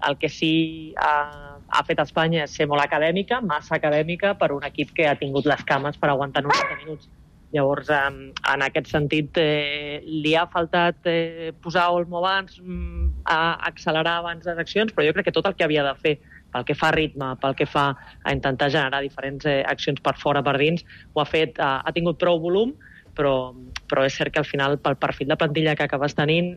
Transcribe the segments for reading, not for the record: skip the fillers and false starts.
el que sí ha fet Espanya és ser molt acadèmica, massa acadèmica per un equip que ha tingut les cames per aguantar 90 minuts. Llavors, en aquest sentit, li ha faltat posar Olmo abans, accelerar abans les accions, però jo crec que tot el que havia de fer pel que fa a ritme, pel que fa a intentar generar diferents accions per fora, per dins, ho ha fet, ha tingut prou volum, però és cert que al final, pel perfil de plantilla que acabes tenint,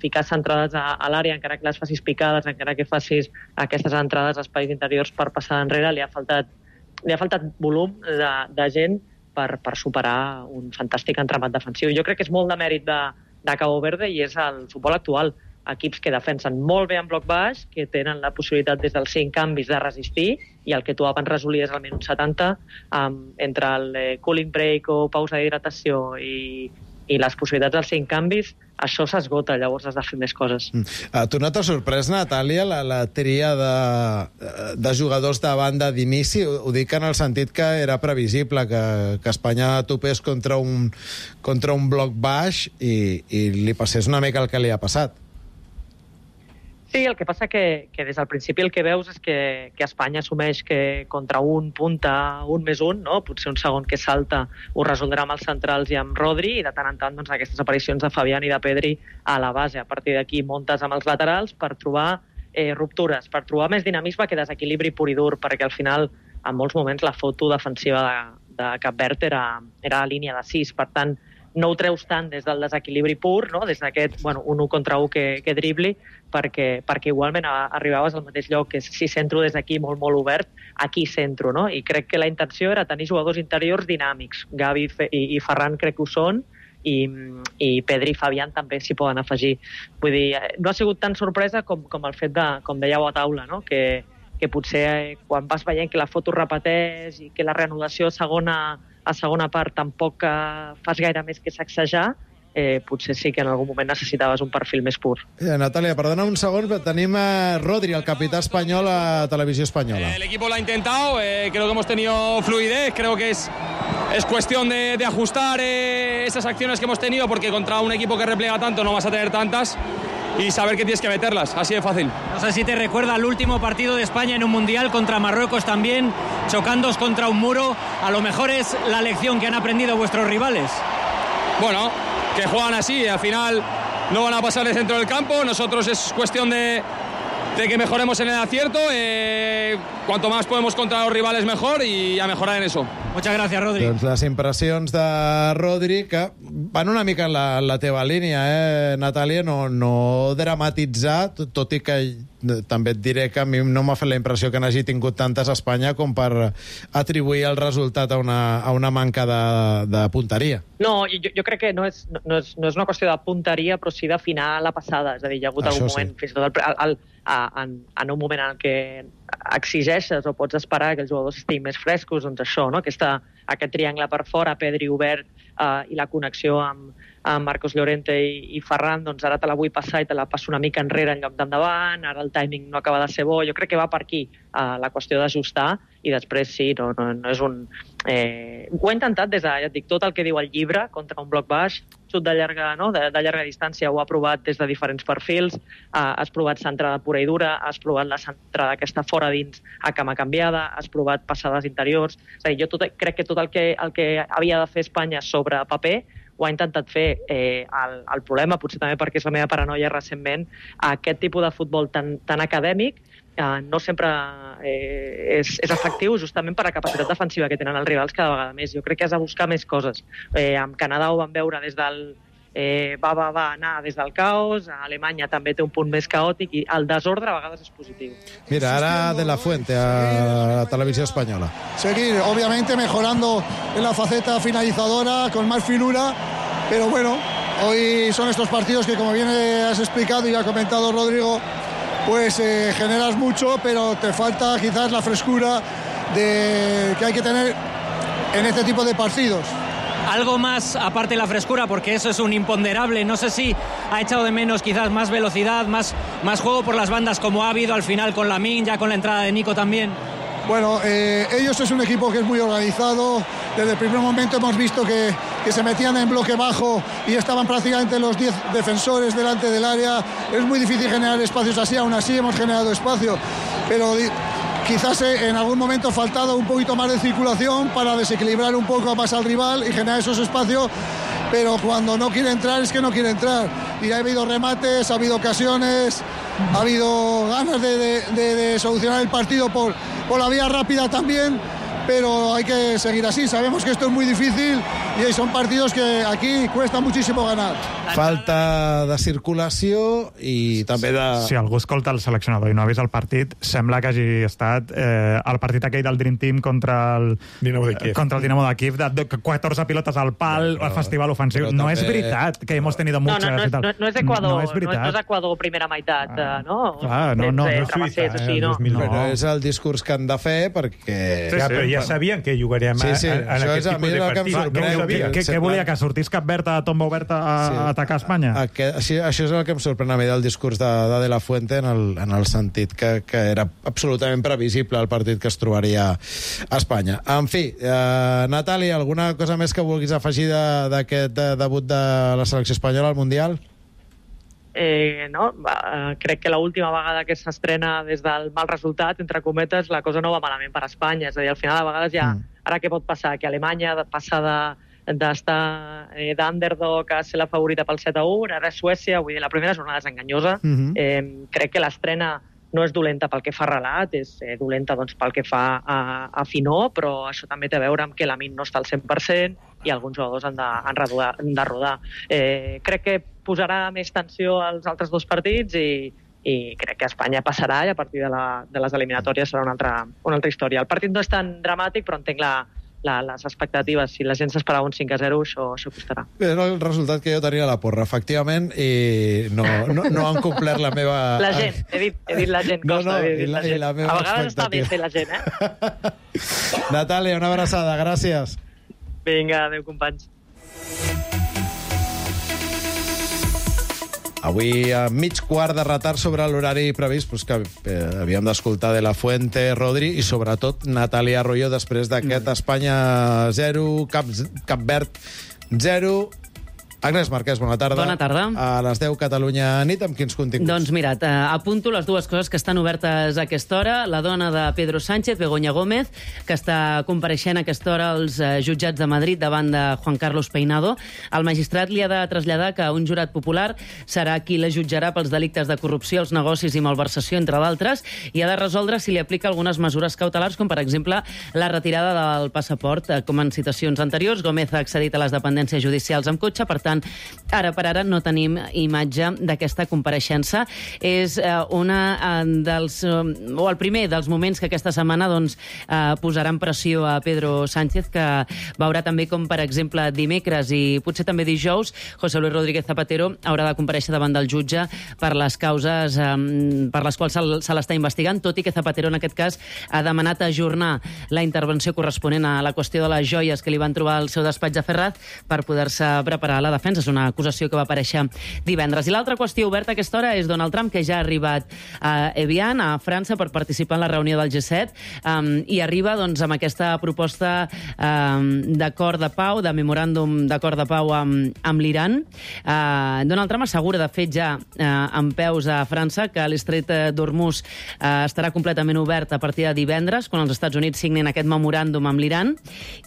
ficar centrades a l'àrea, encara que les facis picades, encara que facis aquestes entrades a espais interiors per passar enrere, li ha faltat volum de gent per superar un fantàstic entramat defensiu. Jo crec que és molt de mèrit de Cabo Verde i és el futbol actual. Equips que defensen molt bé en bloc baix, que tenen la possibilitat des dels 5 canvis de resistir, i el que tu abans resolies al minut 70, entre el cooling break o pausa d'hidratació i les possibilitats dels 5 canvis, això s'esgota, llavors has de fer més coses. Tu no t'ha sorprès, Natàlia, la tria de jugadors de banda d'inici? Ho dic en el sentit que era previsible que Espanya topés contra un bloc baix i li passés una mica el que li ha passat. Sí, el que passa que des del principi el que veus és que Espanya assumeix que contra un punta 1+1, no? Potser un segon que salta ho resoldrà amb els centrals i amb Rodri, i de tant en tant doncs, aquestes aparicions de Fabián i de Pedri a la base. A partir d'aquí muntes amb els laterals per trobar ruptures, per trobar més dinamisme que desequilibri pur i dur, perquè al final en molts moments la foto defensiva de Cap Verd era a línia de 6, per tant no ho treus tant des del desequilibri pur, no? Des d'aquest un 1 contra 1 que dribli, perquè igualment arribaves al mateix lloc, que si centro des d'aquí molt, molt obert, aquí centro, no? I crec que la intenció era tenir jugadors interiors dinàmics. Gavi i Ferran crec que ho són, i Pedri i Fabián també s'hi poden afegir. Vull dir, no ha sigut tan sorpresa com el fet de, com dèieu a taula, no? Que potser quan vas veient que la foto repeteix i que la reanudació a segona part tampoc fas gaire més que sacsejar, potser sí que en algun moment necessitaves un perfil més pur. Natàlia, perdona un segon, però tenim Rodri, el capità espanyol a Televisió Espanyola. El equipo lo ha intentado, creo que hemos tenido fluidez, creo que es cuestión de ajustar esas acciones que hemos tenido, porque contra un equipo que repliega tanto no vas a tener tantas, y saber que tienes que meterlas, así de fácil. No sé si te recuerda el último partido de España en un Mundial contra Marruecos también, chocándos contra un muro. A lo mejor es la lección que han aprendido vuestros rivales. Bueno, que juegan así, al final no van a pasar de centro del campo, nosotros es cuestión de que mejoremos en el acierto, cuanto más podemos contra los rivales mejor, y a mejorar en eso. Muchas gracias, Rodri. Doncs les impressions de Rodri, que van una mica en la teva línia, Natàlia, no dramatitzar, tot i que també et diré que a mi no m'ha fet la impressió que n'hagi tingut tantes a Espanya com per atribuir el resultat a una manca de punteria. No, jo crec que no és una qüestió de punteria, però sí d'afinar la passada. És a dir, hi ha hagut algun moment, fins i tot en un moment en què exigeixes o pots esperar que els jugadors estiguin més frescos, doncs això, no? Aquest triangle per fora, Pedri obert, i la connexió amb Marcos Llorente i Ferran, doncs ara te la vull passar i te la passo una mica enrere en lloc d'endavant, ara el timing no acaba de ser bo. Jo crec que va per aquí la qüestió d'ajustar, i després sí, no és un... Ho he intentat des de, ja et dic, tot el que diu el llibre contra un bloc baix, xut de llarga distància, ho ha provat des de diferents perfils, has provat centrada pura i dura, has provat la centrada aquesta fora dins a cama canviada, has provat passades interiors. És a dir, jo crec que tot el que havia de fer Espanya sobre paper ho ha intentat fer. El problema, potser també perquè és la meva paranoia recentment, aquest tipus de futbol tan acadèmic no sempre és efectiu, justament per la capacitat defensiva que tenen els rivals cada vegada més. Jo crec que has de buscar més coses. Amb Canadà ho vam veure des del va anar des del caos, a Alemanya també té un punt més caòtic, i el desordre a vegades és positiu. Mira, ara De La Fuente a la Televisió Espanyola. Seguir, obviamente mejorando en la faceta finalizadora, con más finura, pero bueno, hoy son estos partidos que, como bien has explicado y ha comentado Rodrigo, pues generas mucho, pero te falta quizás la frescura que hay que tener en este tipo de partidos. Algo más aparte de la frescura, porque eso es un imponderable. No sé si ha echado de menos quizás más velocidad, más juego por las bandas, como ha habido al final con Lamine, ya con la entrada de Nico también. Bueno, ellos es un equipo que es muy organizado. Desde el primer momento hemos visto que que se metían en bloque bajo y estaban prácticamente los 10 defensores delante del área. Es muy difícil generar espacios así, aún así hemos generado espacio, pero quizás en algún momento ha faltado un poquito más de circulación para desequilibrar un poco más al rival y generar esos espacios, pero cuando no quiere entrar es que no quiere entrar. Y ha habido remates, ha habido ocasiones, ha habido ganas de solucionar el partido por la vía rápida también, pero hay que seguir así. Sabemos que esto es muy difícil y son partidos que aquí cuesta muchísimo ganar. Falta de circulació i també de... Si algú escolta el seleccionador i no ha vist el partit, sembla que hagi estat el partit aquell del Dream Team contra el Dinamo de Kiev, de 14 pilotes al pal, el festival ofensiu. No és veritat que hemos tenido muchas... No és Ecuador, no és Ecuador primera meitat, no? Clar, no és Suïssa, no. És el discurs que han de fer perquè... Però ja sabien que jugaríem en aquest tipus de partit. Què volia, que sortís Cap Verd a tomba oberta a atacar Espanya? Això és el que em sorprèn a mi del discurs de la Fuente en el sentit que era absolutament previsible el partit que es trobaria a Espanya. En fi, Natàlia, alguna cosa més que vulguis afegir d'aquest debut de la selecció espanyola al Mundial? Crec que l'última vegada que s'estrena des del mal resultat, entre cometes, la cosa no va malament per Espanya. És a dir, al final, a vegades ja... Ara què pot passar? Que Alemanya passa d'estar d'underdog a ser la favorita pel 7-1, ara Suècia, vull dir, la primera jornada és enganyosa. Crec que l'estrena no és dolenta pel que fa a relat, és dolenta pel que fa a finor, però això també té a veure amb que la Min no està al 100% i alguns jugadors han de rodar. Crec que posarà més tensió als altres dos partits i crec que Espanya passarà i a partir de les eliminatòries serà una altra història. El partit no és tan dramàtic, però entenc les expectatives. Si la gent s'esperava un 5-0, això costarà. Era el resultat que jo tenia a la porra, efectivament, i no han complert la meva... La gent, he dit la gent, costa. La meva a vegades està bé fer la gent, Natàlia, una abraçada, gràcies. Vinga, adéu, companys. Avui, a mig quart de retard sobre l'horari previst, que havíem d'escoltar de la Fuente, Rodri, i sobretot Natàlia Arroyo, després d'aquest Espanya 0, Cap Verd 0. Agnès Marquès, bona tarda. Bona tarda. A les 10, Catalunya nit, amb quins continguts? Doncs mira't, apunto les dues coses que estan obertes a aquesta hora. La dona de Pedro Sánchez, Begoña Gómez, que està compareixent a aquesta hora als jutjats de Madrid davant de Juan Carlos Peinado. El magistrat li ha de traslladar que un jurat popular serà qui la jutjarà pels delictes de corrupció, els negocis i malversació, entre d'altres, i ha de resoldre si li aplica algunes mesures cautelars, com per exemple la retirada del passaport. Com en situacions anteriors, Gómez ha accedit a les dependències judicials amb cotxe, per tant, ara per ara no tenim imatge d'aquesta compareixença. És el primer dels moments que aquesta setmana posaran pressió a Pedro Sánchez, que veurà també com, per exemple, dimecres i potser també dijous, José Luis Rodríguez Zapatero haurà de comparèixer davant del jutge per les causes per les quals se l'està investigant, tot i que Zapatero en aquest cas ha demanat ajornar la intervenció corresponent a la qüestió de les joies que li van trobar al seu despatx a Ferraz per poder-se preparar la defensa. És una acusació que va aparèixer divendres. I l'altra qüestió oberta a aquesta hora és Donald Trump, que ja ha arribat a Evian, a França, per participar en la reunió del G7, i arriba amb aquesta proposta d'acord de pau, de memoràndum d'acord de pau amb l'Iran. Donald Trump assegura, de fet, ja en peus a França, que l'estret d'Hormuz estarà completament obert a partir de divendres, quan els Estats Units signin aquest memoràndum amb l'Iran.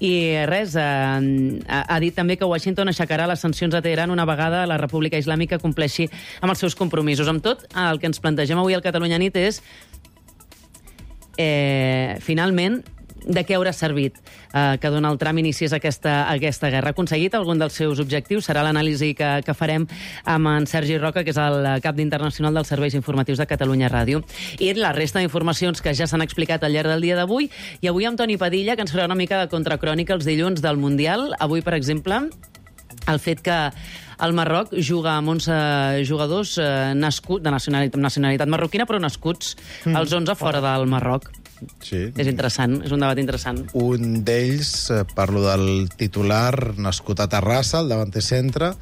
I res, ha dit també que Washington aixecarà les sancions a Teheran una vegada la República Islàmica compleixi amb els seus compromisos. Amb tot, el que ens plantegem avui al Catalunya Nit és, finalment, de què haurà servit que Donald Trump iniciés aquesta guerra. Ha aconseguit algun dels seus objectius? Serà l'anàlisi que farem amb en Sergi Roca, que és el cap d'internacional dels serveis informatius de Catalunya Ràdio. I la resta d'informacions que ja s'han explicat al llarg del dia d'avui. I avui amb Toni Padilla, que ens farà una mica de contracrònica els dilluns del Mundial. Avui, per exemple, el fet que el Marroc juga amb 11 jugadors nascuts de nacionalitat marroquina, però nascuts els 11 fora del Marroc. Sí. És interessant, és un debat interessant. Un d'ells, parlo del titular, nascut a Terrassa, el davanter centre,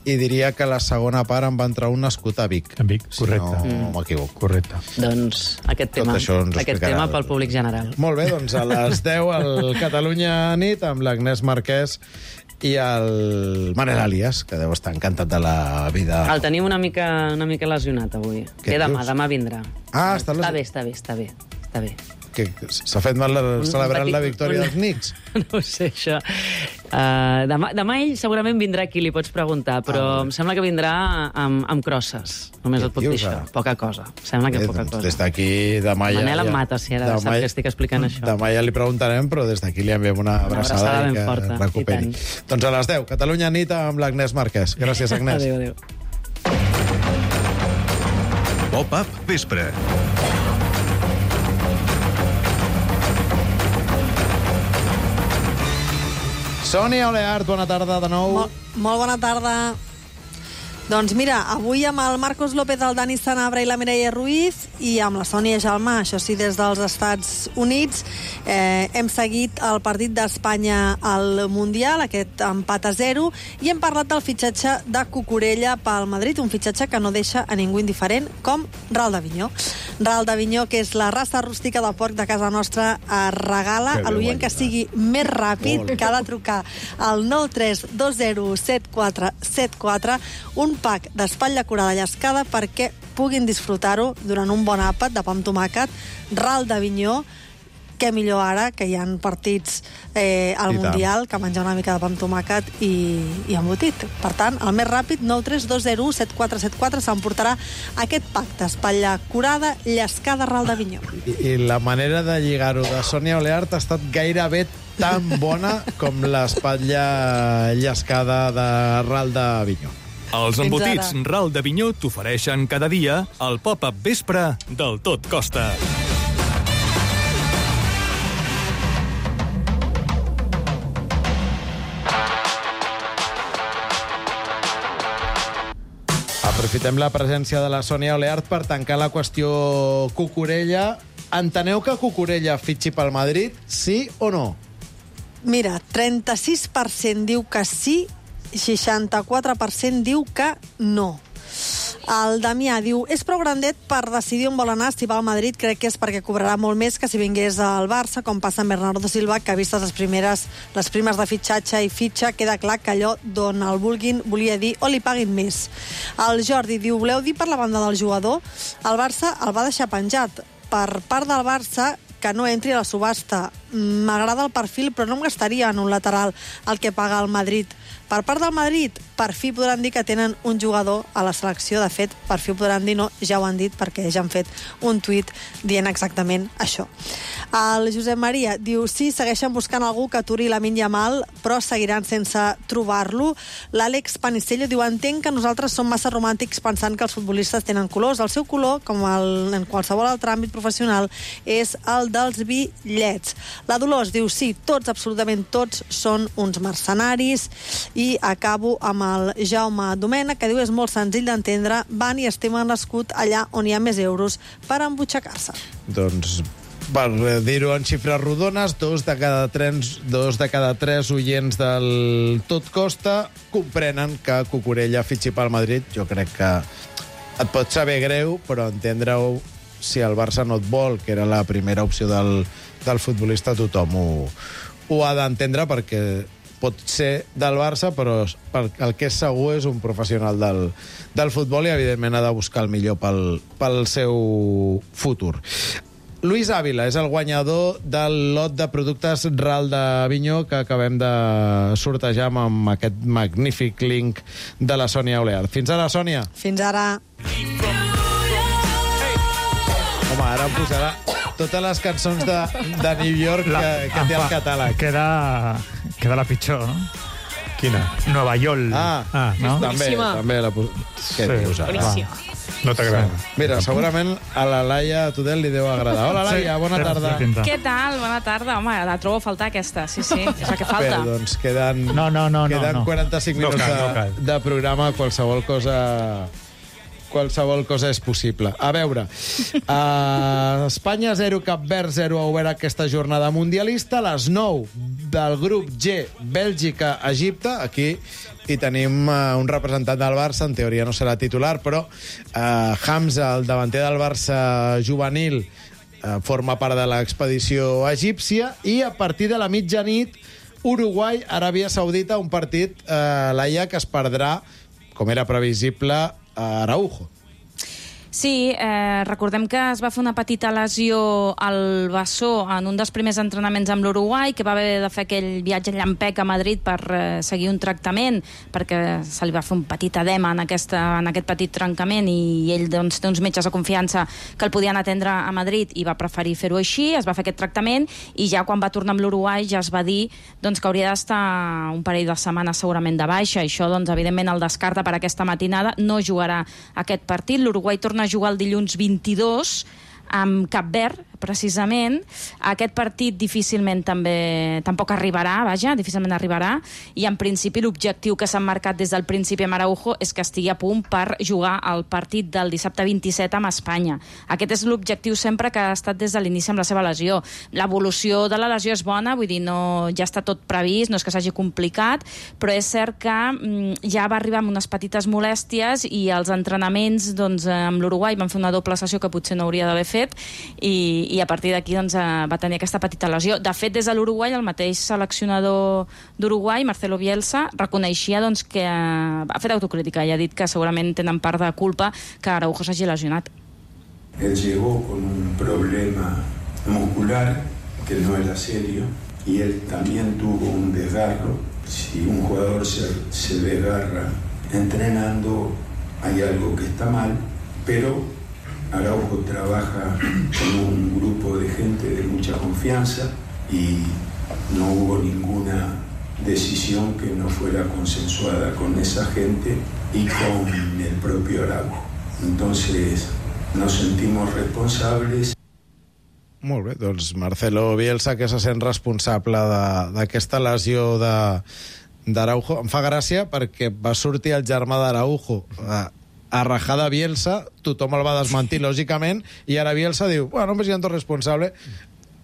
i diria que la segona part en va entrar un nascut a Vic. En Vic, correcte. Si no m'equivoco. Correcte. Doncs aquest tema pel públic general. Molt bé, doncs a les 10 al Catalunya Nit amb l'Agnès Marquès i el Manel Alias, que deu estar encantat de la vida. El tenim una mica lesionat avui. Què demà vindrà. Ah, està bé. Que s'ha fet mal celebrant la victòria dels Knicks? No ho sé, això. Demà ell segurament vindrà aquí, li pots preguntar, però em sembla que vindrà amb crosses. Només et puc dir això. Poca cosa. Sembla que poca cosa. Des d'aquí, demà ja... Manel em mata, si ara sap que estic explicant això. Demà ja li preguntarem, però des d'aquí li enviem una abraçada i que recuperi. Doncs a les 10, Catalunya nit amb l'Agnès Marquès. Gràcies, Agnès. Adéu. Pop-up vespre. Sònia Oleart, bona tarda de nou. Molt bona tarda. Doncs mira, avui amb el Marcos López, el Dani Sanabra i la Mireia Ruiz i amb la Sònia Jalmà, això sí, des dels Estats Units, hem seguit el partit d'Espanya al Mundial, aquest empat a 0, i hem parlat del fitxatge de Cucurella pel Madrid, un fitxatge que no deixa a ningú indiferent, com Ral d'Avinyó. Ral d'Avinyó, que és la raça rústica de porc de casa nostra, regala a l'oient que sigui més ràpid, que ha de trucar al 93207474 un pack d'espatlla curada llescada perquè puguin disfrutar-ho durant un bon àpat de pa amb tomàquet. Ral d'Avinyó, què millor ara, que hi ha partits al Mundial, que menjar una mica de pa amb tomàquet i embotit. Per tant, el més ràpid, 93207474, s'emportarà aquest pack d'espatlla curada llescada Ral d'Avinyó. I la manera de lligar-ho de Sònia Oleart ha estat gairebé tan bona com l'espatlla llescada de Ral d'Avinyó. Els embotits Ral d'Avinyó t'ofereixen cada dia el pop-up vespre del Tot Costa. Aprofitem la presència de la Sònia Oleart per tancar la qüestió Cucurella. Enteneu que Cucurella fitxi pel Madrid, sí o no? Mira, 36% diu que sí, 64% diu que no. El Damià diu, és prou grandet per decidir on vol anar. Si va al Madrid crec que és perquè cobrarà molt més que si vingués al Barça, com passa amb Bernardo Silva, que vistes les primes de fitxatge i fitxa, queda clar que allò d'on el vulguin volia dir o li paguin més. El Jordi diu, voleu dir per la banda del jugador? El Barça el va deixar penjat. Per part del Barça, que no entri a la subhasta. M'agrada el perfil, però no em gastaria en un lateral el que paga el Madrid. Per part del Madrid, per fi podran dir que tenen un jugador a la selecció. De fet, per fi ho podran dir, no, ja ho han dit, perquè ja han fet un tuit dient exactament això. El Josep Maria diu, sí, segueixen buscant algú que aturi Lamine Yamal, però seguiran sense trobar-lo. L'Àlex Panicello diu, entenc que nosaltres som massa romàntics pensant que els futbolistes tenen colors. El seu color, com en qualsevol altre àmbit professional, és el dels bitllets. La Dolors diu, sí, tots, absolutament tots, són uns mercenaris. I acabo amb el Jaume Domènech, que diu, és molt senzill d'entendre, van i estimen l'escut allà on hi ha més euros per embutxacar-se. Doncs, per dir-ho en xifres rodones, dos de cada tres oients del Tot Costa comprenen que Cucurella fitxi pel Madrid. Jo crec que et pot saber greu, però entendre-ho, si el Barça no et vol, que era la primera opció del futbolista, tothom ho ha d'entendre, perquè pot ser del Barça, però el que és segur és un professional del futbol i, evidentment, ha de buscar el millor pel seu futur. Luis Ávila és el guanyador del lot de productes Ral d'Avinyó que acabem de sortejar amb aquest magnífic link de la Sònia Oleart. Fins ara, Sònia. Fins ara. Home, ara em posarà totes les cançons de New York que té el catàleg. Queda la pitjor, no? Quina? Nova York. No? També la Què dius ara? No t'agrada. Mira, segurament a la Laia Tudel li deu agradar. Hola, Laia, bona tarda. Què tal? Bona tarda. Home, la trobo a faltar, aquesta. Sí, és la que falta. Bé, doncs queden 45 minuts de programa, qualsevol cosa és possible. A veure, Espanya 0, Cap Verd 0 ha obert aquesta jornada mundialista. A les 9 del grup G, Bèlgica, Egipte. Aquí hi tenim un representant del Barça, en teoria no serà titular, però Hamza, el davanter del Barça juvenil, forma part de l'expedició egípcia, i a partir de la mitjanit Uruguai, Aràbia Saudita, un partit, Laia, que es perdrà, com era previsible, a Araujo. Sí, recordem que es va fer una petita lesió al bessó en un dels primers entrenaments amb l'Uruguai, que va haver de fer aquell viatge llampec a Madrid per seguir un tractament, perquè se li va fer un petit edema en aquest petit trencament, i ell doncs, té uns metges de confiança que el podien atendre a Madrid i va preferir fer-ho així. Es va fer aquest tractament i ja quan va tornar amb l'Uruguai ja es va dir doncs, que hauria d'estar un parell de setmanes segurament de baixa. Això doncs, evidentment el descarta per aquesta matinada, no jugarà aquest partit. L'Uruguai torna a jugar el dilluns 22 amb Cap Verd, precisament. Aquest partit difícilment tampoc arribarà, difícilment arribarà, i en principi l'objectiu que s'han marcat des del principi amb Araujo és que estigui a punt per jugar el partit del dissabte 27 amb Espanya. Aquest és l'objectiu sempre que ha estat des de l'inici amb la seva lesió. L'evolució de la lesió és bona, vull dir, ja està tot previst, no és que s'hagi complicat, però és cert que ja va arribar amb unes petites molèsties i els entrenaments doncs, amb l'Uruguai van fer una doble sessió que potser no hauria d'haver fet, i a partir d'aquí doncs, va tenir aquesta petita lesió. De fet, des de l'Uruguai, el mateix seleccionador d'Uruguai, Marcelo Bielsa, reconeixia doncs, que ha fet autocrítica i ha dit que segurament tenen part de culpa que Araujo s'hagi lesionat. Él llegó con un problema muscular que no era serio y él también tuvo un desgarro. Si un jugador se desgarra entrenando, hay algo que está mal, pero Araujo trabaja con un grupo de gente de mucha confianza y no hubo ninguna decisión que no fuera consensuada con esa gente y con el propio Araujo. Entonces nos sentimos responsables. Molt bé, doncs Marcelo Bielsa, que se sent responsable d'aquesta lesió d'Araujo. Em fa gràcia perquè va sortir el germà d'Araujo a rajar de Bielsa, tothom el va desmentir, lògicament, i ara Bielsa diu, bueno, me siento responsable,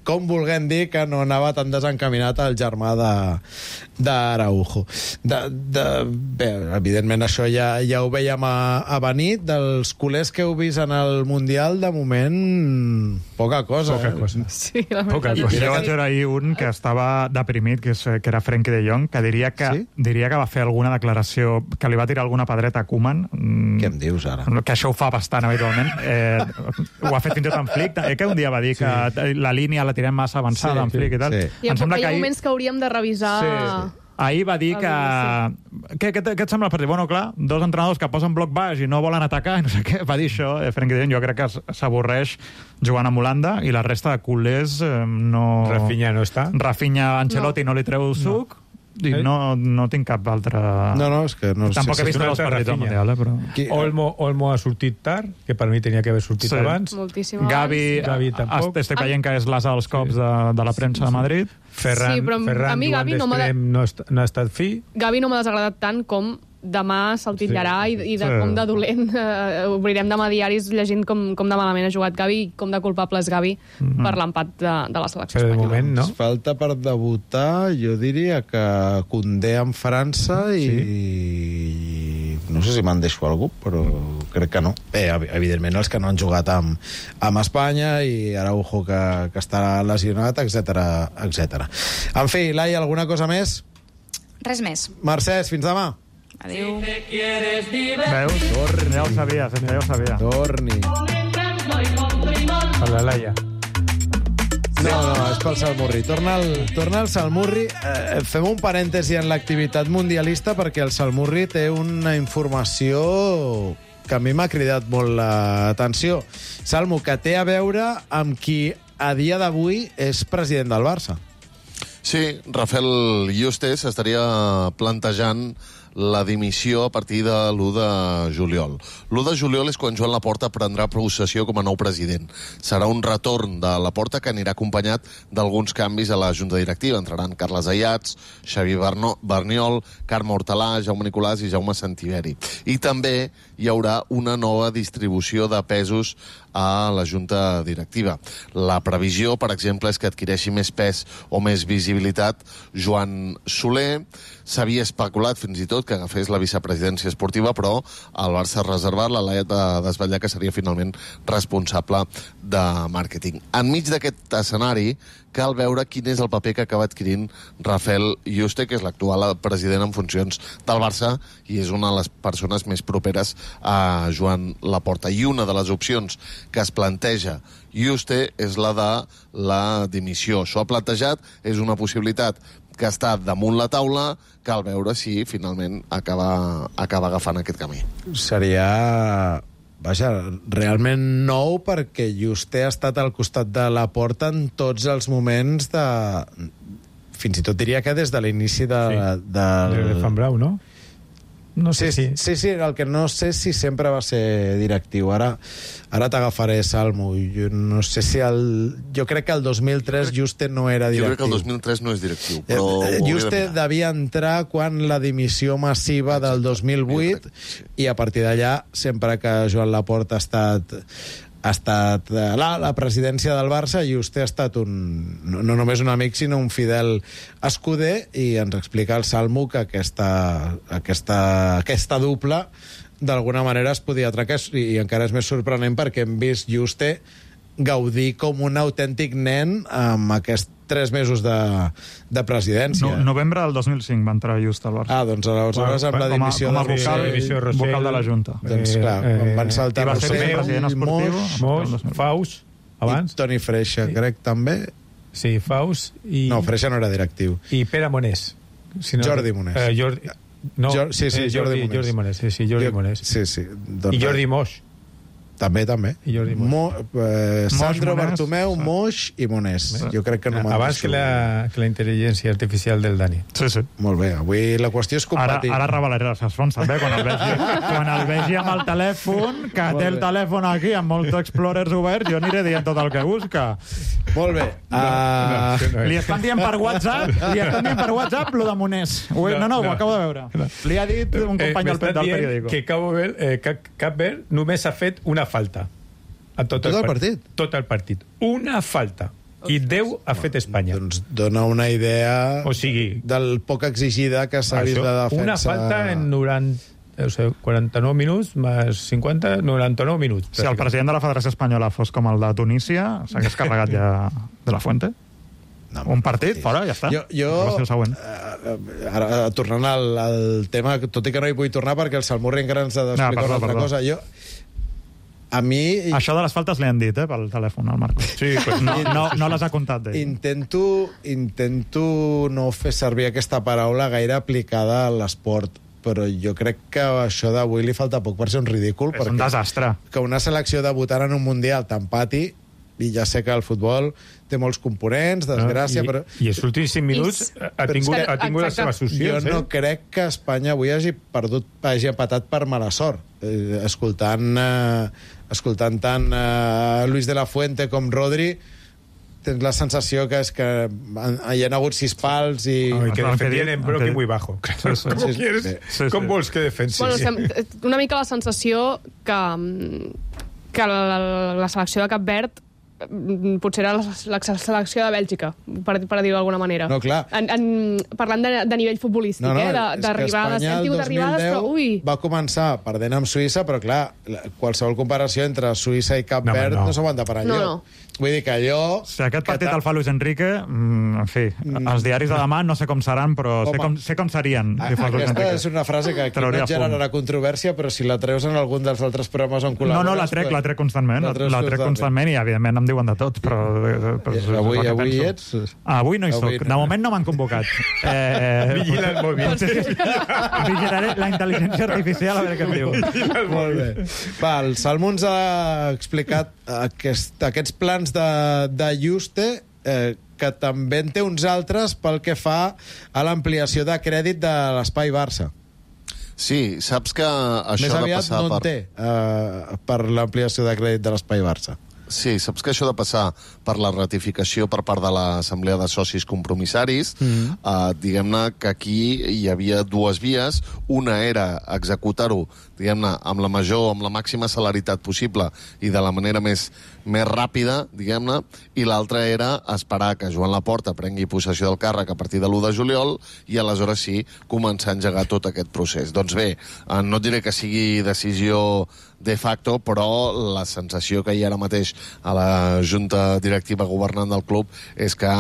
com volguem dir que no anava tan desencaminat el germà d'Araujo. Bé, evidentment això ja ho veiem a venir. Dels culers que heu vist en el Mundial, de moment, poca cosa. Poca cosa. Sí, poca cosa. Jo vaig veure ahir un que estava deprimit, que era Frenkie de Jong, que diria que va fer alguna declaració, que li va tirar alguna pedreta a Koeman. Què em dius, ara? Que això ho fa bastant habitualment. Ho ha fet fins i tot en Flick, que un dia va dir que la línia la tirem massa avançada en Flick i tal. Hi ha moments que hauríem de revisar... Ahir va dir que... Què et sembla el partit? Bueno, clar, dos entrenadors que posen bloc baix i no volen atacar, no sé què, va dir això. Frenkie de Jong, jo crec que s'avorreix jugant amb Holanda, i la resta de culers no... Rafinha no està. Rafinha, Ancelotti no li treu suc. No tinc cap altre... No, és que no sé. Tampoc he vist els partits del Mundial, però... Olmo ha sortit tard, que per mi tenia que haver sortit abans. Moltíssim abans. Gavi tampoc. Estic veient que és l'asa dels cops de la premsa de Madrid. Ferran d'extrem no ha estat fi. Gavi no m'ha desagradat tant com demà se'l titllarà i de com de dolent obrirem demà diaris llegint com de malament ha jugat Gavi i com de culpable és Gavi per l'empat de la selecció espanyola. Moment, no? Falta per debutar, jo diria que Koundé en França i no sé si me'n deixo algú, però crec que no. Evidentment els que no han jugat amb Espanya i Araujo que està lesionat, etc. En fi, Laia, alguna cosa més? Res més. Mercès, fins demà. Adéu. Veus? Torni. Ja ho sabia. Torni. Per la Laia. No, és pel Salmurri. Torna al Salmurri. Fem un parèntesi en l'activitat mundialista perquè el Salmurri té una informació que a mi m'ha cridat molt l'atenció. Salmo, que té a veure amb qui a dia d'avui és president del Barça. Sí, Rafael Yuste estaria plantejant la dimissió a partir de l'1 de juliol. L'1 de juliol és quan Joan Laporta prendrà possessió com a nou president. Serà un retorn de Laporta que anirà acompanyat d'alguns canvis a la Junta Directiva. Entraran Carles Ayats, Xavi Barniol, Carme Hortalà, Jaume Nicolàs i Jaume Santiveri. I també hi haurà una nova distribució de pesos a la Junta Directiva. La previsió, per exemple, és que adquireixi més pes o més visibilitat Joan Soler. S'havia especulat fins i tot que agafés la vicepresidència esportiva, però el Barça ha reservat, la Laia de desvetllar que seria finalment responsable de màrqueting. Enmig d'aquest escenari, cal veure quin és el paper que acaba adquirint Rafael Yuste, que és l'actual president en funcions del Barça i és una de les persones més properes a Joan Laporta. I una de les opcions que es planteja Yuste és la de la dimissió. Això ha plantejat, és una possibilitat que està damunt la taula, cal veure si finalment acaba agafant aquest camí. Seria... Vaja, realment nou, perquè Yuste ha estat al costat de Laporta en tots els moments de... Fins i tot diria que des de l'inici de Fan Brau, no? No sé sí, el que no sé si sempre va ser directiu. Ara t'agafaré, Salmo. Jo no sé si jo crec que el 2003 Yuste no era directiu. Jo crec que el 2003 no és directiu, però... Yuste devia entrar quan la dimissió massiva del 2008 i a partir d'allà, sempre que Joan Laporta ha estat la presidència del Barça, Yuste ha estat no només un amic, sinó un fidel escuder, i ens explica el Salmo que aquesta dupla d'alguna manera es podia trencar, i encara és més sorprenent perquè hem vist Yuste gaudir com un autèntic nen amb aquests 3 mesos de presidència. Novembre del 2005 va entrar Yuste al Barça. Doncs aleshores amb la dimissió com a vocal de la Junta. Doncs clar, van saltar Rossell, Moix, Faus, abans. I Toni Freixa, crec, també. Sí, Faus i... No, Freixa no era directiu. I Pere Monés. Jordi Monés. Jordi Monés. Jordi Monés. I Jordi Moix. També. I Jordi Sandro Bartomeu, Moix i Monés. Jo crec que no m'han... Abans que la intel·ligència artificial del Dani. Sí. Molt bé, avui la qüestió és competir. Ara revelaré les fonts, també, quan el vegi amb el telèfon, que té el telèfon aquí amb molts explorers oberts, jo aniré dient tot el que busca. Molt bé. Li estan dient per WhatsApp lo de Monés. Ho acabo de veure. Li ha dit un company del periòdico. Que Cap Verd només ha fet una falta a tot el partit. Tot el partit. Una falta. I 10 ha fet Espanya. Doncs dona una idea del poc exigida que s'ha vist de defensa. Una falta en 49 minuts més 50, 99 minuts. Si el president de la Federació Espanyola fos com el de Tunísia, s'hagués carregat ja de la Fuente. Un partit, fora, ja està. Ara, tornant al tema, tot i que no hi vull tornar perquè el Salmurri encara ens ha d'explicar una altra cosa. A mi... Això de les faltes li han dit, pel telèfon, al Marco. Sí, no les ha comptat d'ell. Intento no fer servir aquesta paraula gaire aplicada a l'esport, però jo crec que això d'avui li falta poc per ser un ridícul. És un desastre. Que una selecció debutant en un Mundial t'empati, i ja sé que el futbol té molts components, desgràcia, però... I els últims 5 minuts ha tingut les seves solucions. Jo no crec que Espanya avui hagi empatat per mala sort. Escoltant tant Luis de la Fuente com Rodri, tens la sensació que és que hi ha hagut 6 pals i... que defendien en bloc i muy bajo. Com vols que defensi? Una mica la sensació que la selecció de Cap Verd potser era la selecció de Bèlgica, per dir-ho d'alguna manera. No, clar. Parlant de nivell futbolístic, d'arribar a l'estiu d'arribades, però ui... Va començar perdent amb Suïssa, però clar, qualsevol comparació entre Suïssa i Cap Verd no s'aguanta per allò. Vull dir que allò... Si aquest partit el fa Luis Enrique, en fi, els diaris de demà no sé com seran, però sé com serien. Aquesta és una frase que aquí no generarà controvèrsia, però si la treus en algun dels altres programes on col·labores... No, la trec constantment. La trec constantment i, evidentment, em diuen de tot, però... Avui ets... Avui no hi soc. De moment no m'han convocat. Vigila el mòbil. Vigilaré la intel·ligència artificial a veure què em diu. Molt bé. Va, el Salmo ens ha explicat aquests plans de Yuste, que també en té uns altres pel que fa a l'ampliació de crèdit de l'Espai Barça. Sí, saps que això més aviat no en té per l'ampliació de crèdit de l'Espai Barça. Sí, saps que això de passar per la ratificació per part de l'Assemblea de Socis Compromissaris, diguem-ne que aquí hi havia dues vies. Una era executar-ho, diguem-ne, amb la major, amb la màxima celeritat possible i de la manera més ràpida, diguem-ne, i l'altra era esperar que Joan Laporta prengui possessió del càrrec a partir de l'1 de juliol i aleshores sí començar a engegar tot aquest procés. Doncs bé, no diré que sigui decisió de facto, però la sensació que hi ha ara mateix a la junta directiva governant del club és que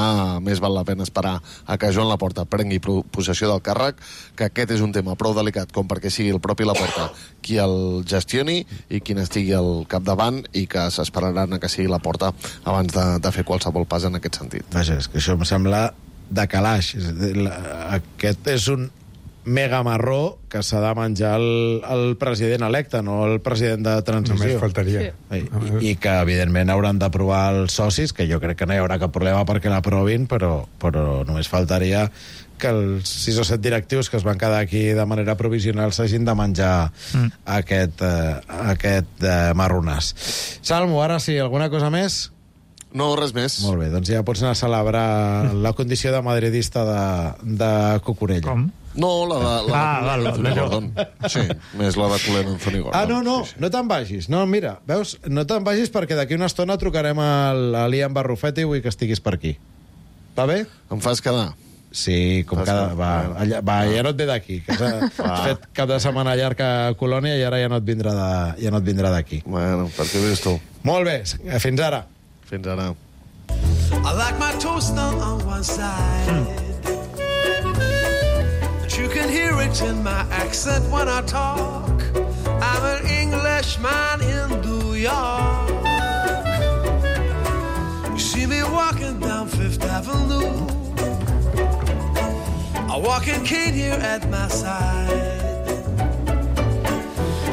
més val la pena esperar a que Joan Laporta prengui possessió del càrrec, que aquest és un tema prou delicat com perquè sigui el propi Laporta qui el gestioni i qui n'estigui al capdavant, i que s'esperaran a que sigui Laporta abans de fer qualsevol pas en aquest sentit. Vaja, és que això em sembla de calaix. Aquest és un mega marró que s'ha de menjar el president electe, no el president de transició. Només faltaria. I que, evidentment, hauran d'aprovar els socis, que jo crec que no hi haurà cap problema perquè l'aprovin, però només faltaria que els 6 o 7 directius que es van quedar aquí de manera provisional s'hagin de menjar aquest marronàs. Salmo, ara sí, alguna cosa més? No, res més. Molt bé, doncs ja pots anar a celebrar la condició de madridista de Cucurella. Com? No, la Anthony Gordon. Sí, més la de Culer Anthony Gordon. No te'n vagis. No, mira, veus, no te'n vagis perquè d'aquí una estona trucarem a l'Ian Barrufet i vull que estiguis per aquí. Va bé? Em fas quedar? Sí, com cada... Va, ja no et ve d'aquí. Has fet cap de setmana llarg a Colònia i ara ja no et vindrà d'aquí. Bueno, per què ves tu? Molt bé, fins ara. Fins ara. I like my toaster on one side. You can hear it in my accent when I talk. I'm an Englishman in New York. You see me walking down Fifth Avenue. A walking cane here at my side.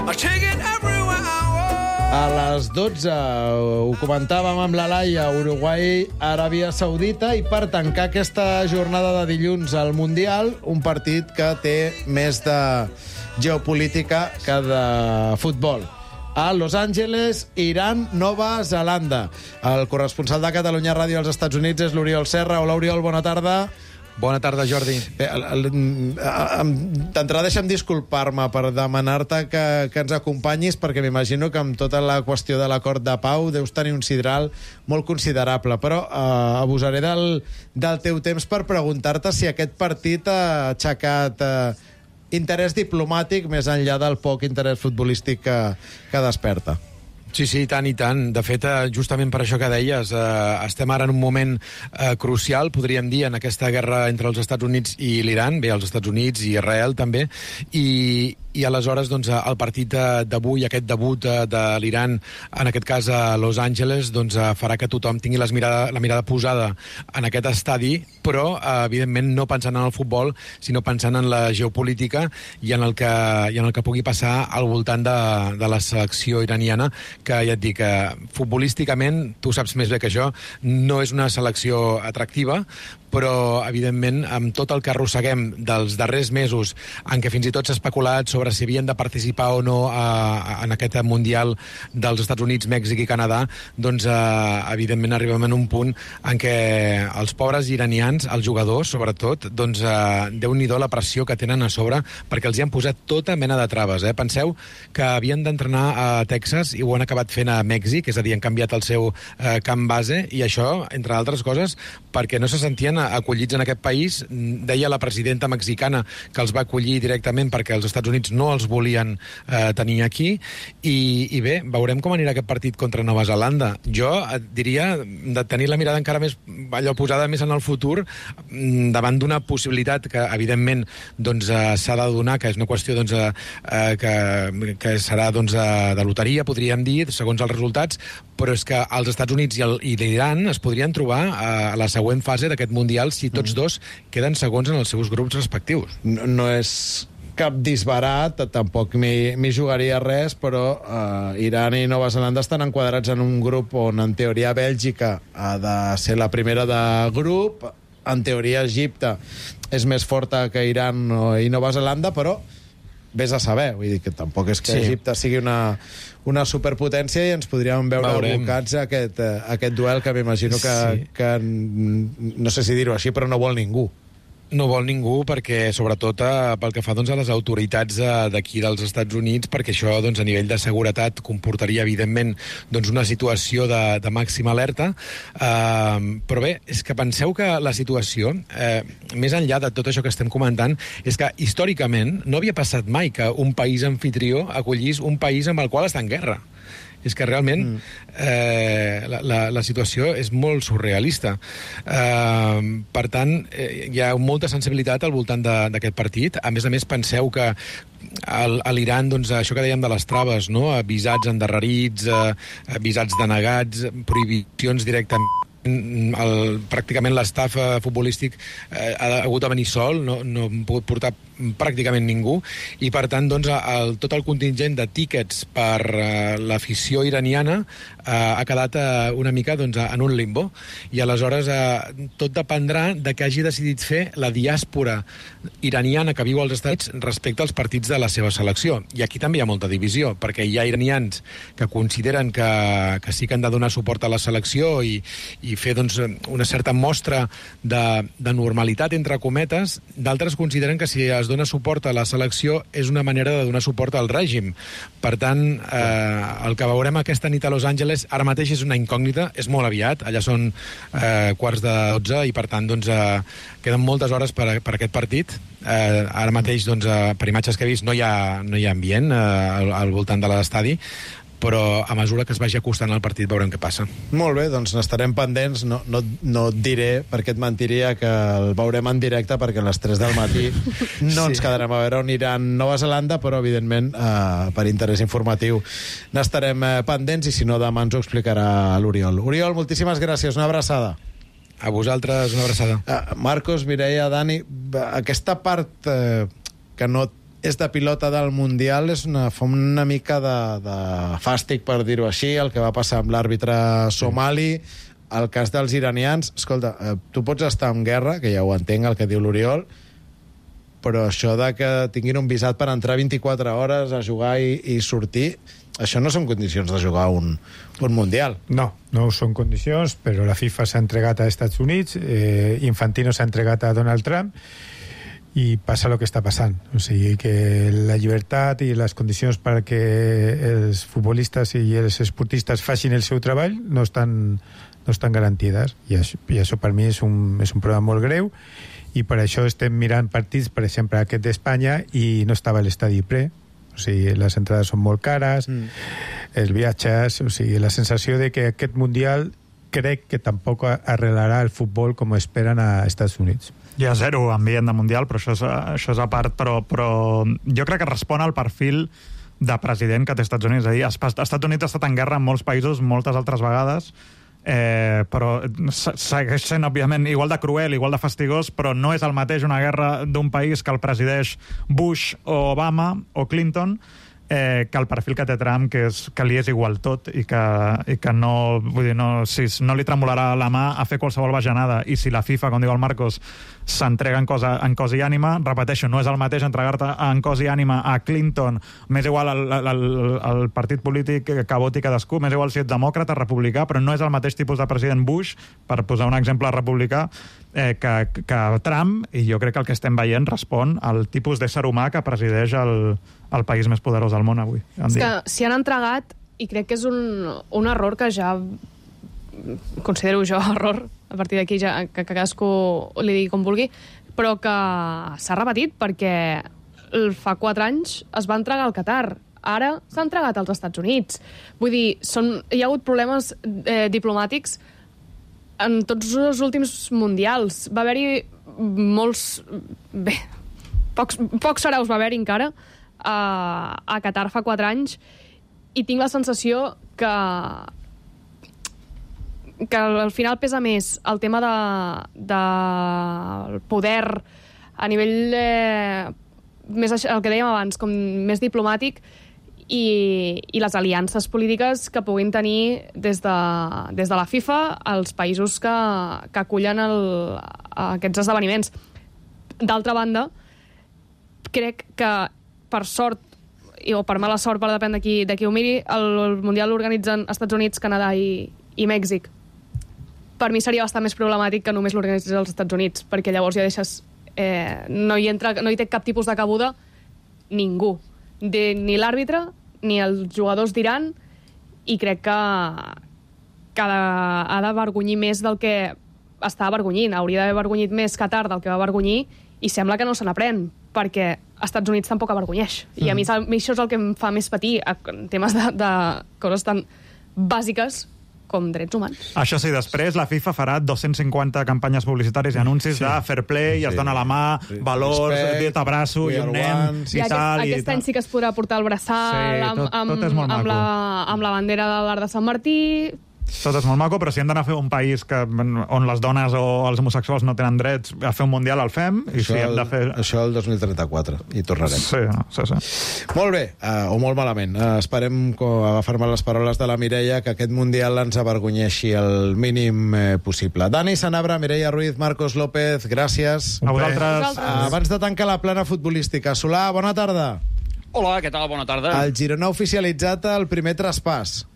I take it everywhere I walk. A les 12 ho comentàvem amb la Laia, Uruguai, Aràbia Saudita, i per tancar aquesta jornada de dilluns al Mundial, un partit que té més de geopolítica que de futbol. A Los Angeles, Iran, Nova Zelanda. El corresponsal de Catalunya Ràdio als Estats Units és l'Oriol Serra. Hola, Oriol, bona tarda. Bona tarda, Jordi. Bé, d'entrada deixa'm disculpar-me per demanar-te que ens acompanyis, perquè m'imagino que amb tota la qüestió de l'acord de pau deus tenir un sidral molt considerable, però abusaré del teu temps per preguntar-te si aquest partit ha aixecat interès diplomàtic més enllà del poc interès futbolístic que desperta. Sí, i tant. De fet, justament per això que deies, estem ara en un moment crucial, podríem dir, en aquesta guerra entre els Estats Units i l'Iran, bé, els Estats Units i Israel també, i aleshores doncs, el partit d'avui, aquest debut de l'Iran, en aquest cas a Los Angeles, doncs, farà que tothom tingui la mirada posada en aquest estadi, però evidentment no pensant en el futbol, sinó pensant en la geopolítica i en el que pugui passar al voltant de la selecció iraniana, que ja et dic, futbolísticament, tu saps més bé que jo, no és una selecció atractiva, però, evidentment, amb tot el que arrosseguem dels darrers mesos, en què fins i tot s'ha especulat sobre si havien de participar o no en aquest Mundial dels Estats Units, Mèxic i Canadà, doncs, evidentment, arribem en un punt en què els pobres iranians, els jugadors, sobretot, doncs, Déu-n'hi-do la pressió que tenen a sobre, perquè els hi han posat tota mena de traves. Penseu que havien d'entrenar a Texas i ho han acabat fent a Mèxic, és a dir, han canviat el seu camp base, i això, entre altres coses, perquè no se sentien acollits en aquest país. Deia la presidenta mexicana que els va acollir directament perquè els Estats Units no els volien tenir aquí, i bé, veurem com anirà aquest partit contra Nova Zelanda. Jo diria de tenir la mirada encara més allò posada més en el futur, davant d'una possibilitat que evidentment doncs, s'ha de donar, que és una qüestió doncs, que serà doncs, de loteria, podríem dir, segons els resultats, però és que els Estats Units i l'Iran es podrien trobar a la següent fase d'aquest Mundial si tots dos queden segons en els seus grups respectius. No és cap disbarat, tampoc m'hi jugaria res, però Iran i Nova Zelanda estan enquadrats en un grup on, en teoria, Bèlgica ha de ser la primera de grup, en teoria Egipte és més forta que Iran i Nova Zelanda, però vés a saber, vull dir que tampoc és que Egipte sigui una superpotència i ens podríem veure abocats a aquest duel que m'imagino que no sé si dir-ho així, però no vol ningú. No vol ningú perquè, sobretot, pel que fa a les autoritats d'aquí dels Estats Units, perquè això a nivell de seguretat comportaria, evidentment, una situació de màxima alerta. Però bé, és que penseu que la situació, més enllà de tot això que estem comentant, és que històricament no havia passat mai que un país anfitrió acollís un país amb el qual està en guerra. És que realment la situació és molt surrealista. Per tant, hi ha molta sensibilitat al voltant d'aquest partit. A més, penseu que a l'Iran, això que dèiem de les traves, no? Visats endarrerits, visats denegats, prohibicions directament. Pràcticament l'estaf futbolístic ha hagut de venir sol, no ha pogut portar pràcticament ningú, i per tant tot el contingent de tíquets per l'afició iraniana ha quedat una mica en un limbo, i aleshores tot dependrà de què hagi decidit fer la diàspora iraniana que viu als Estats Units respecte als partits de la seva selecció. I aquí també hi ha molta divisió, perquè hi ha iranians que consideren que sí que han de donar suport a la selecció i fer una certa mostra de normalitat, entre cometes. D'altres consideren que si es dona suport a la selecció és una manera de donar suport al règim. Per tant, el que veurem aquesta nit a Los Angeles ara mateix és una incògnita, és molt aviat, allà són 11:15 i per tant queden moltes hores per aquest partit. Ara mateix, per imatges que he vist, no hi ha ambient al voltant de l'estadi, però a mesura que es vagi acostant al partit veurem què passa. Molt bé, doncs n'estarem pendents. No et diré, perquè et mentiria, que el veurem en directe, perquè a les 3 del matí no ens quedarem a veure on irà Nova Zelanda, però evidentment per interès informatiu n'estarem pendents, i si no demà ens ho explicarà l'Oriol. Oriol, moltíssimes gràcies, una abraçada. A vosaltres, una abraçada. Marcos, Mireia, Dani, aquesta part que no és de pilota del Mundial fa una mica de fàstic, per dir-ho així, el que va passar amb l'àrbitre somali, el cas dels iranians. Escolta, tu pots estar en guerra, que ja ho entenc el que diu l'Oriol, però això de que tinguin un visat per entrar 24 hores a jugar i sortir, això no són condicions de jugar un Mundial. No són condicions, però la FIFA s'ha entregat a Estats Units, Infantino s'ha entregat a Donald Trump, i passa el que està passant. O sigui que la llibertat i les condicions perquè els futbolistes i els esportistes facin el seu treball no estan garantides. I això per mi és un problema molt greu, i per això estem mirant partits, per exemple, aquest d'Espanya, i no estava a l'estadi ple. O sigui, les entrades són molt cares, els viatges, o sigui, la sensació de que aquest Mundial crec que tampoc arreglarà el futbol com esperen a Estats Units. Hi ha zero ambient de Mundial, però això és a part, però jo crec que respon al perfil de president que té Estats Units. És a dir, Estats Units ha estat en guerra en molts països moltes altres vegades, però segueix sent, òbviament, igual de cruel, igual de fastigós, però no és el mateix una guerra d'un país que el presideix Bush o Obama o Clinton, que el perfil que té Trump, que li és igual tot, i que no, vull dir, no li tremolarà la mà a fer qualsevol bajanada. I si la FIFA, com diu el Marcos, s'entrega en cos i ànima, repeteixo, no és el mateix entregar-te en cos i ànima a Clinton, m'és igual el partit polític que voti cadascú, m'és igual si ets demòcrata, republicà, però no és el mateix tipus de president Bush, per posar un exemple republicà, que Trump, i jo crec que el que estem veient respon al tipus d'ésser humà que presideix el país més poderós del món avui. És que s'hi han entregat, i crec que és un error que ja considero jo error, a partir d'aquí ja que cadascú li digui com vulgui, però que s'ha repetit, perquè fa 4 anys es va entregar al Qatar, ara s'ha entregat als Estats Units. Vull dir, hi ha hagut problemes diplomàtics en tots els últims mundials. Va haver-hi pocs saraus va haver-hi encara a Qatar fa 4 anys, i tinc la sensació que al final pesa més el tema del poder a nivell més el que dèiem abans, com més diplomàtic, i les aliances polítiques que puguin tenir des de la FIFA als països que acullen aquests esdeveniments. D'altra banda, crec que per sort, o per mala sort, per depèn de qui ho miri, el Mundial l'organitzen Estats Units, Canadà i Mèxic. Per mi seria bastant més problemàtic que només l'organitzés als Estats Units, perquè llavors ja deixes... no hi té cap tipus de cabuda ningú. Ni l'àrbitre, ni els jugadors d'Iran, i crec que ha d'avergonyir més del que està avergonyint. Hauria d'haver avergonyit més Qatar del que va avergonyir, i sembla que no se n'aprèn, perquè Estats Units tampoc avergonyeix. I a mi això és el que em fa més patir, en temes de coses tan bàsiques com drets humans. Això sí, després la FIFA farà 250 campanyes publicitàries i anuncis de fair play, i es dona la mà, valors, t'abraço i un nen, i tal. Aquest any sí que es podrà portar el braçal amb la bandera de l'Arc de Sant Martí. Tot és molt maco, però si hem d'anar a fer un país on les dones o els homosexuals no tenen drets a fer un mundial, el fem. Això el 2034, i tornarem. Sí. Molt bé, o molt malament. Esperem agafar-me les paraules de la Mireia, que aquest mundial ens avergonyeixi el mínim possible. Dani Sanabra, Mireia Ruiz, Marcos López, gràcies. A vosaltres. Abans de tancar la plana futbolística, Solà, bona tarda. Hola, què tal? Bona tarda. El Girona ha oficialitzat el primer traspàs.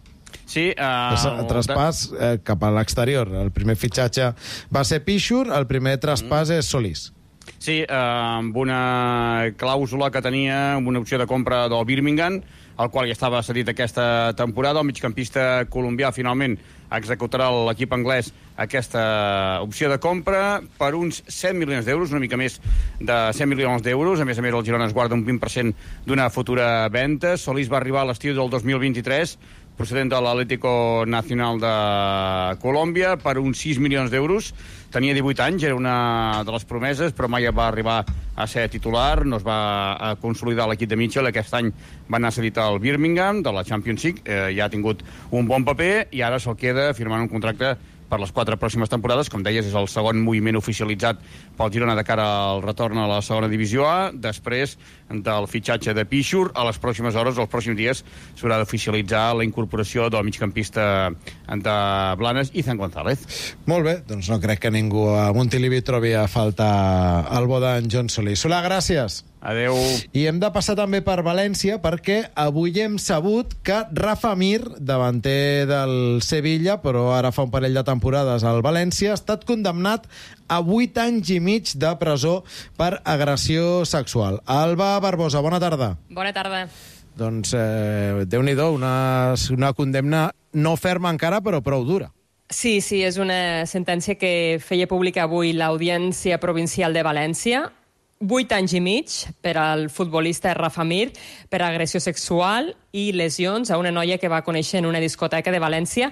Sí, traspàs cap a l'exterior. El primer fitxatge va ser Pichur, el primer traspàs és Solís. Sí, amb una clàusula que tenia, amb una opció de compra del Birmingham, el qual ja estava cedit aquesta temporada. El migcampista colombià finalment executarà l'equip anglès aquesta opció de compra per uns 100 milions d'euros, una mica més de 100 milions d'euros. A més, el Girona es guarda un 20% d'una futura venda. Solís va arribar a l'estiu del 2023, procedent de l'Atlético Nacional de Colòmbia, per uns 6 milions d'euros. Tenia 18 anys, era una de les promeses, però mai va arribar a ser titular, no es va consolidar l'equip de Mitchell. Aquest any va anar cedit al Birmingham, de la Champions League, ja ha tingut un bon paper, i ara se'l queda firmant un contracte per les 4 pròximes temporades. Com deies, és el segon moviment oficialitzat pel Girona de cara al retorn a la segona divisió A. Després del fitxatge de Pichur, a les pròximes hores, els pròxims dies, s'haurà d'oficialitzar la incorporació del migcampista de Blanes, Izan González. Molt bé, doncs no crec que ningú a Montilivi trobi a faltar el bo d'en John Solís. Solà, gràcies. Adeu. I hem de passar també per València, perquè avui hem sabut que Rafa Mir, davanter del Sevilla, però ara fa un parell de temporades al València, ha estat condemnat a 8 anys i mig de presó per agressió sexual. Alba Barbosa, bona tarda. Bona tarda. Doncs Déu-n'hi-do, una condemna no ferma encara, però prou dura. Sí, és una sentència que feia pública avui l'Audiència Provincial de València. 8 anys i mig per al futbolista Rafa Mir per agressió sexual i lesions a una noia que va conèixer en una discoteca de València.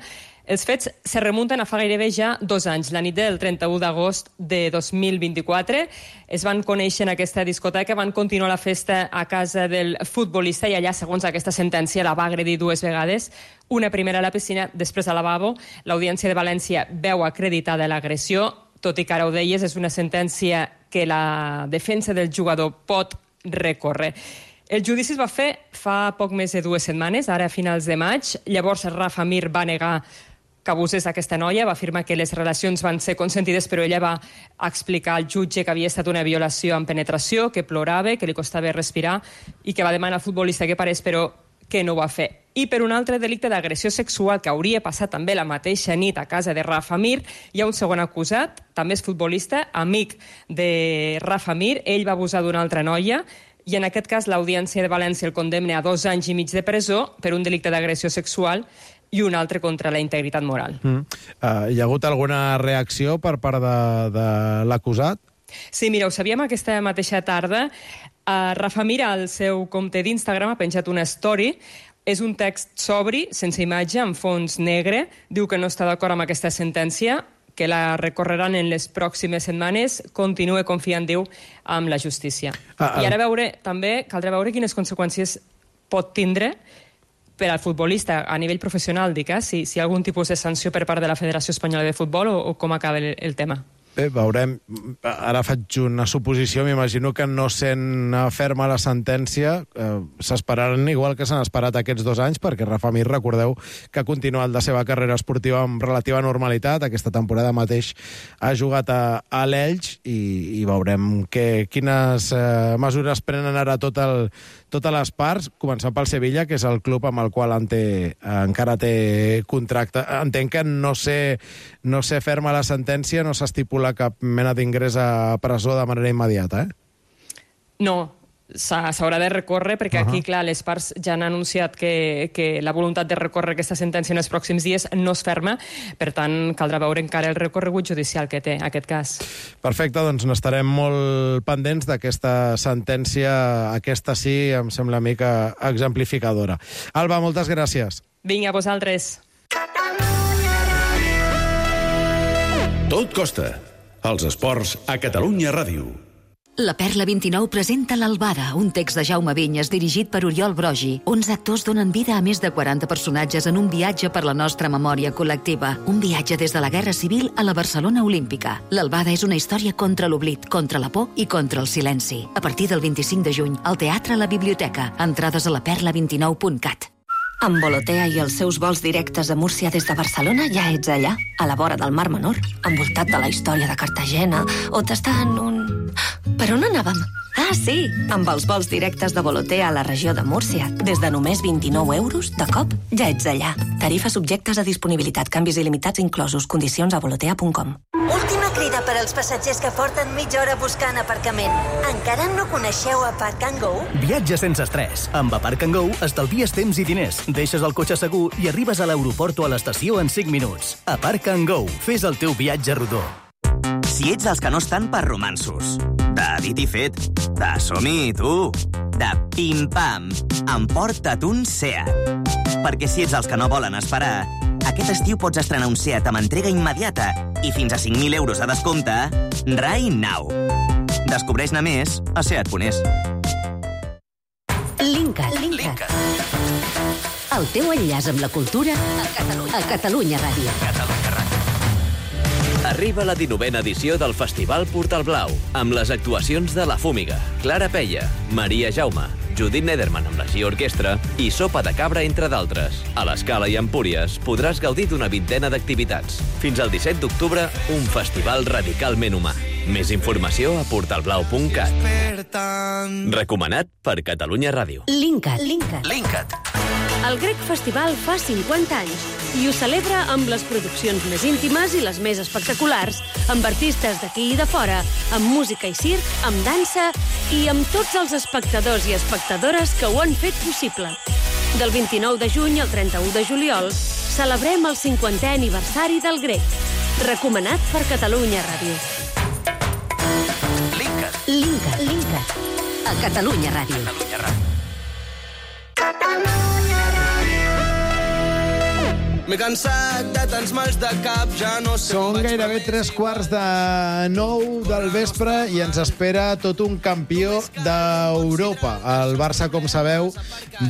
Els fets se remunten a fa gairebé ja 2 anys. La nit del 31 d'agost de 2024 es van conèixer en aquesta discoteca, van continuar la festa a casa del futbolista i allà, segons aquesta sentència, la va agredir 2 vegades, una primera a la piscina, després al lavabo. L'Audiència de València veu acreditada l'agressió, tot i que ara ho deies, és una sentència que la defensa del jugador pot recórrer. El judici es va fer fa poc més de 2 setmanes, ara a finals de maig. Llavors Rafa Mir va negar que abusés aquesta noia, va afirmar que les relacions van ser consentides, però ella va explicar al jutge que havia estat una violació amb penetració, que plorava, que li costava respirar i que va demanar al futbolista que parés, però que no ho va fer. I per un altre delicte d'agressió sexual que hauria passat també la mateixa nit a casa de Rafa Mir, hi ha un segon acusat, també és futbolista, amic de Rafa Mir. Ell va abusar d'una altra noia i en aquest cas l'Audiència de València el condemna a 2 anys i mig de presó per un delicte d'agressió sexual i un altre contra la integritat moral. Hi ha hagut alguna reacció per part de l'acusat? Sí, mira, ho sabíem aquesta mateixa tarda. Rafa Mir, al seu compte d'Instagram, ha penjat una story. És un text sobri, sense imatge, en fons negre. Diu que no està d'acord amb aquesta sentència, que la recorreran en les pròximes setmanes. Continua confiant, diu, amb la justícia. I ara també caldrà veure quines conseqüències pot tindre per al futbolista a nivell professional, dic, si hi ha algun tipus de sanció per part de la Federació Espanyola de Futbol o com acaba el tema. Bé, veurem. Ara faig una suposició. M'imagino que no sent ferma la sentència s'esperaran igual que s'han esperat aquests 2 anys, perquè Rafa Mir, recordeu que ha continuat la seva carrera esportiva amb relativa normalitat. Aquesta temporada mateix ha jugat a l'Elx i veurem quines mesures prenen ara tot totes les parts, començant pel Sevilla, que és el club amb el qual encara té contracte. Entenc que no sé ferma la sentència, no s'estipula cap mena d'ingrés a presó de manera immediata, No, s'haurà de recórrer, perquè aquí, clar, les parts ja han anunciat que la voluntat de recórrer aquesta sentència en els pròxims dies no es ferma, per tant, caldrà veure encara el recorregut judicial que té aquest cas. Perfecte, doncs n'estarem molt pendents d'aquesta sentència, aquesta sí, em sembla a mi que exemplificadora. Alba, moltes gràcies. Vinga, a vosaltres. Tot costa. Els esports a Catalunya Ràdio. La Perla 29 presenta l'Albada, un text de Jaume Vinyes dirigit per Oriol Brogi. 11 actors donen vida a més de 40 personatges en un viatge per la nostra memòria col·lectiva. Un viatge des de la Guerra Civil a la Barcelona Olímpica. L'Albada és una història contra l'oblit, contra la por i contra el silenci. A partir del 25 de juny, al Teatre a la Biblioteca. Entrades a laperla29.cat. Amb Volotea i els seus vols directes a Múrcia des de Barcelona ja ets allà, a la vora del Mar Menor, envoltat de la història de Cartagena, o t'està en un... Per on anàvem? Ah, sí! Amb els vols directes de Volotea a la regió de Múrcia, des de només 29 euros, de cop, ja ets allà. Tarifes subjectes a disponibilitat, canvis il·limitats inclosos, condicions a volotea.com. Última crida per als passatgers que porten mitja hora buscant aparcament. Encara no coneixeu Aparc & Go? Viatge sense estrès. Amb Aparc & Go estalvies temps i diners, deixes el cotxe segur i arribes a l'aeroport o a l'estació en 5 minuts. Aparc & Go. Fes el teu viatge rodó. Si ets dels que no estan per romanços, de dit i fet, de som-hi, tu, de pim-pam, emporta't un Seat. Perquè si ets dels que no volen esperar, aquest estiu pots estrenar un Seat amb entrega immediata i fins a 5.000 euros a descompte right now. Descobreix-ne més a seat.es. Linkat. El teu enllaç amb la cultura a Catalunya Ràdio. Arriba la 19a edició del Festival Portal Blau, amb les actuacions de La Fúmiga, Clara Peia, Maria Jaume, Judit Nederman amb la G Orquestra i Sopa de Cabra, entre d'altres. A l'Escala i Empúries podràs gaudir d'una vintena d'activitats. Fins al 17 d'octubre, un festival radicalment humà. Més informació a portalblau.cat. Recomanat per Catalunya Ràdio. Linkat. El Grec Festival fa 50 anys i ho celebra amb les produccions més íntimes i les més espectaculars, amb artistes d'aquí i de fora, amb música i circ, amb dansa i amb tots els espectadors i espectadores que ho han fet possible. Del 29 de juny al 31 de juliol celebrem el 50è aniversari del Grec. Recomanat per Catalunya Ràdio. Linkat. A Catalunya Ràdio. M'he cansat de tants mals de cap, ja no sé... Són gairebé 3:45 del vespre i ens espera tot un campió d'Europa. El Barça, com sabeu,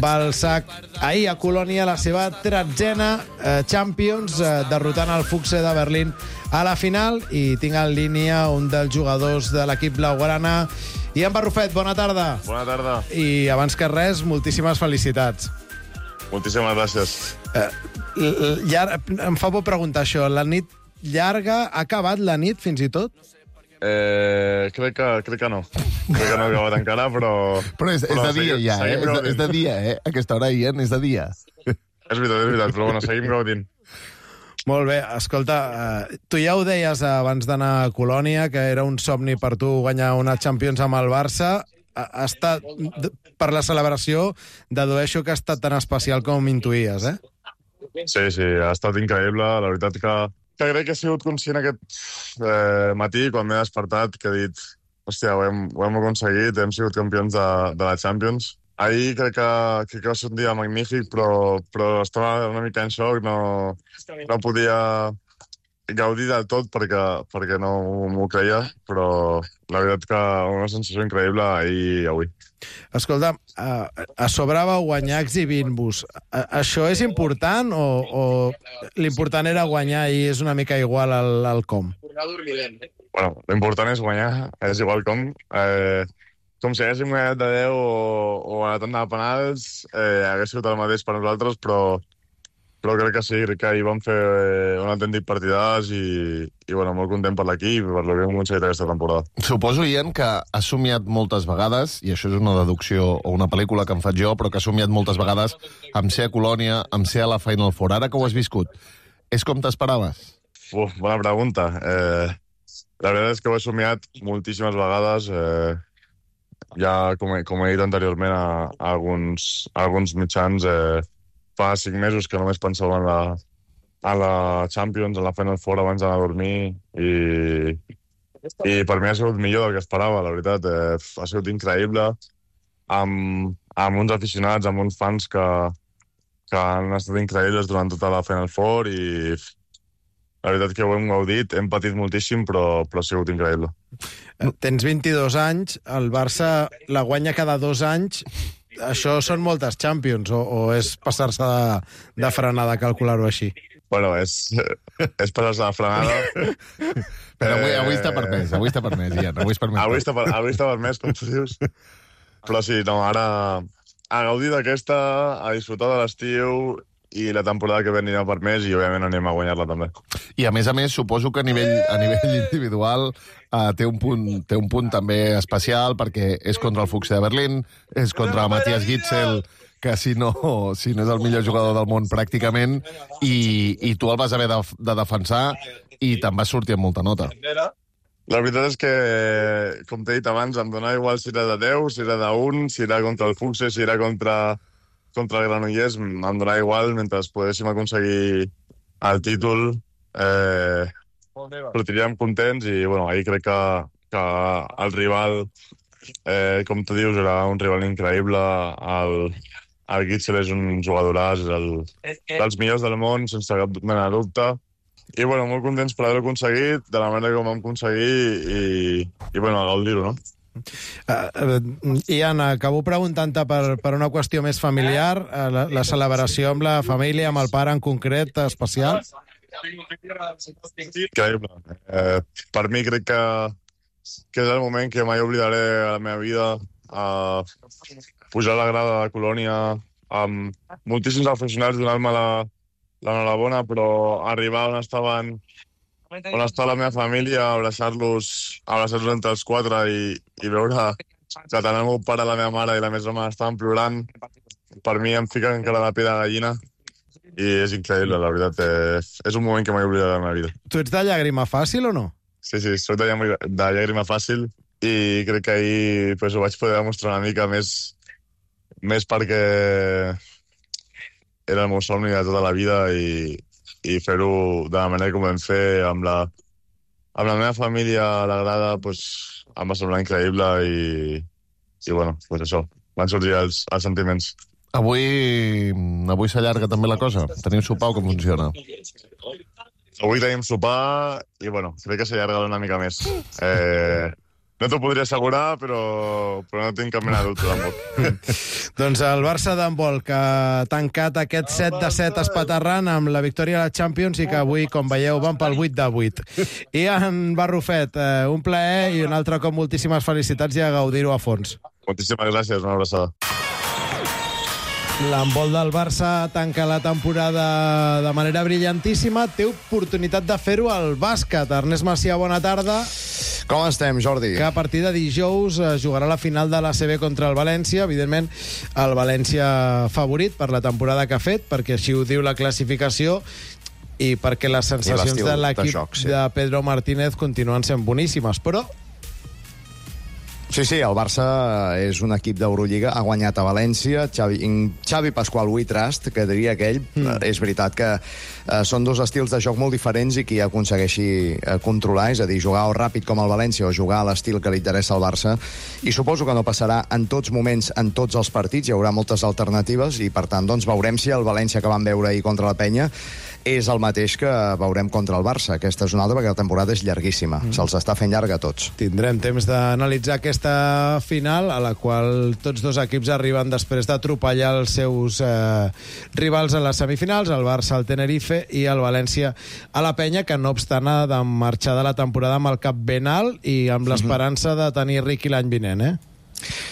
va alçar ahir a Colònia la seva 13a Champions, derrotant el Füchse de Berlín a la final, i tinc en línia un dels jugadors de l'equip blaugrana. Ian Barrufet, bona tarda. Bona tarda. I abans que res, moltíssimes felicitats. Moltíssimes gràcies. Em fa por preguntar això. La nit llarga, ha acabat la nit fins i tot? Crec que no. Crec que no ha acabat encara, però... Però és de dia ja, És de dia, Aquesta hora, Ian, és de dia. És veritat, però bueno, seguim gaudint. Molt bé, escolta, tu ja ho deies abans d'anar a Colònia, que era un somni per tu guanyar una Champions amb el Barça. Ha estat, per la celebració, dedueixo que ha estat tan especial com intuïes, Sí, ha estat increïble. La veritat que crec que he sigut conscient aquest matí, quan m'he despertat, que he dit, hòstia, ho hem aconseguit, hem sigut campions de la Champions. Ahir crec que va ser un dia magnífic, però estava una mica en xoc, no podia gaudir del tot perquè no m'ho creia, però la veritat que una sensació increïble ahir i avui. Escolta, a sobre vau guanyar exhibint-vos. Això és important o l'important era guanyar i és una mica igual al com? Bueno, l'important és guanyar, és igual com. Com si haguéssim guanyat de 10 o a la tanda de penals, hagués sigut el mateix per nosaltres, però crec que sí, crec que ahir vam fer un autèntic partidàs i bueno, molt content per l'equip i per el que hem aconseguit aquesta temporada. Suposo, Ian, que has somiat moltes vegades, i això és una deducció o una pel·lícula que em faig jo, però que has somiat moltes vegades amb ser a Colònia, amb ser a la Final Four. Ara que ho has viscut, és com t'esperaves? Bona pregunta. La veritat és que ho he somiat moltíssimes vegades. Ja, com he dit anteriorment a alguns mitjans, fa 5 mesos que només pensava en la Champions, en la Final Four abans d'anar a dormir i per mi ha sigut millor del que esperava, la veritat. Ha sigut increïble amb uns aficionats, amb uns fans que han estat increïbles durant tota la Final Four i la veritat que ho hem gaudit, hem patit moltíssim, però ha sigut increïble. Tens 22 anys, el Barça la guanya cada 2 anys. Això són moltes Champions, o és passar-se de frenada, calcular-ho així? Bueno, és passar-se de frenada. Però avui està permès, Ian. Avui està permès, com tu dius. Però sí, no, ara a gaudir d'aquesta, a disfrutar de l'estiu i la temporada que ve anirà per més i, òbviament, anem a guanyar-la també. I, a més, suposo que a nivell individual té un punt també especial perquè és contra el Fuchs de Berlín, és contra Matthias Gitzel, que si no és el millor jugador del món pràcticament, i tu el vas haver de defensar i te'n vas sortir amb molta nota. La veritat és que, com t'he dit abans, em donava igual si era de 10, si era d'1, si era contra el Fuchs, si era contra el Granollers, em donava igual, mentre poguéssim aconseguir el títol, sortiríem contents i, bueno, ahir crec que el rival, com tu dius, era un rival increïble. El Gitzel és un jugadoràs, és dels millors del món, sense cap mena de dubte. I, bueno, molt contents per haver-ho aconseguit, de la manera que ho vam aconseguir i bueno, a gaudir-ho, no? Ian, acabo preguntant-te per una qüestió més familiar, la celebració amb la família, amb el pare en concret, especial? Increïble. Per mi crec que és el moment que mai oblidaré a la meva vida, pujar a la grada de Colònia amb moltíssims aficionats donant-me l'enhorabona, però arribar on estava la meva família, abraçar-los entre els 4 i veure que tant el meu pare, la meva mare i la meva mare estaven plorant, per mi em fica encara la pell de gallina i és increïble, la veritat. És un moment que mai oblidaré de la meva vida. Tu ets de llàgrima fàcil o no? Sí, soc de llàgrima fàcil i crec que ahir ho vaig poder demostrar una mica més perquè era el meu somni de tota la vida i fer-ho de la manera que ho vam fer amb la meva família a la grada, em va semblar increïble i bueno, això, van sortir els sentiments. Avui s'allarga també la cosa? Teniu sopar o com funciona? Avui tenim sopar i, bueno, crec que s'allarga una mica més. No t'ho podria assegurar, però no tinc cap mena de dubte tampoc. Doncs el Barça d'handbol, que ha tancat aquest 7-7 espaterrant amb la victòria a la Champions i que avui, com veieu, van pel 8-8. Ian Barrufet, un plaer i un altre cop moltíssimes felicitats i a gaudir-ho a fons. Moltíssimes gràcies, una abraçada. L'handbol del Barça tanca la temporada de manera brillantíssima. Té oportunitat de fer-ho al bàsquet. Ernest Macià, bona tarda. Com estem, Jordi? Que a partir de dijous jugarà la final de l'ACB contra el València. Evidentment, el València favorit per la temporada que ha fet, perquè així ho diu la classificació, i perquè les sensacions de l'equip de Pedro Martínez continuen sent boníssimes, però... Sí, el Barça és un equip d'Eurolliga, ha guanyat a València, Xavi Pasqual We Trust, que diria aquell. És veritat que són dos estils de joc molt diferents i qui aconsegueixi controlar, és a dir, jugar o ràpid com el València o jugar a l'estil que li interessa al Barça. I suposo que no passarà en tots moments, en tots els partits, hi haurà moltes alternatives i, per tant, doncs veurem si el València que vam veure ahir contra la Penya és el mateix que veurem contra el Barça. Aquesta és una altra, perquè la temporada és llarguíssima. Se'ls està fent llarga a tots. Tindrem temps d'analitzar aquesta final, a la qual tots dos equips arriben després d'atropellar els seus rivals a les semifinals, el Barça al Tenerife i el València a la Penya, que no obstant ha de marxar de la temporada amb el cap ben alt i amb l'esperança de tenir Riqui l'any vinent,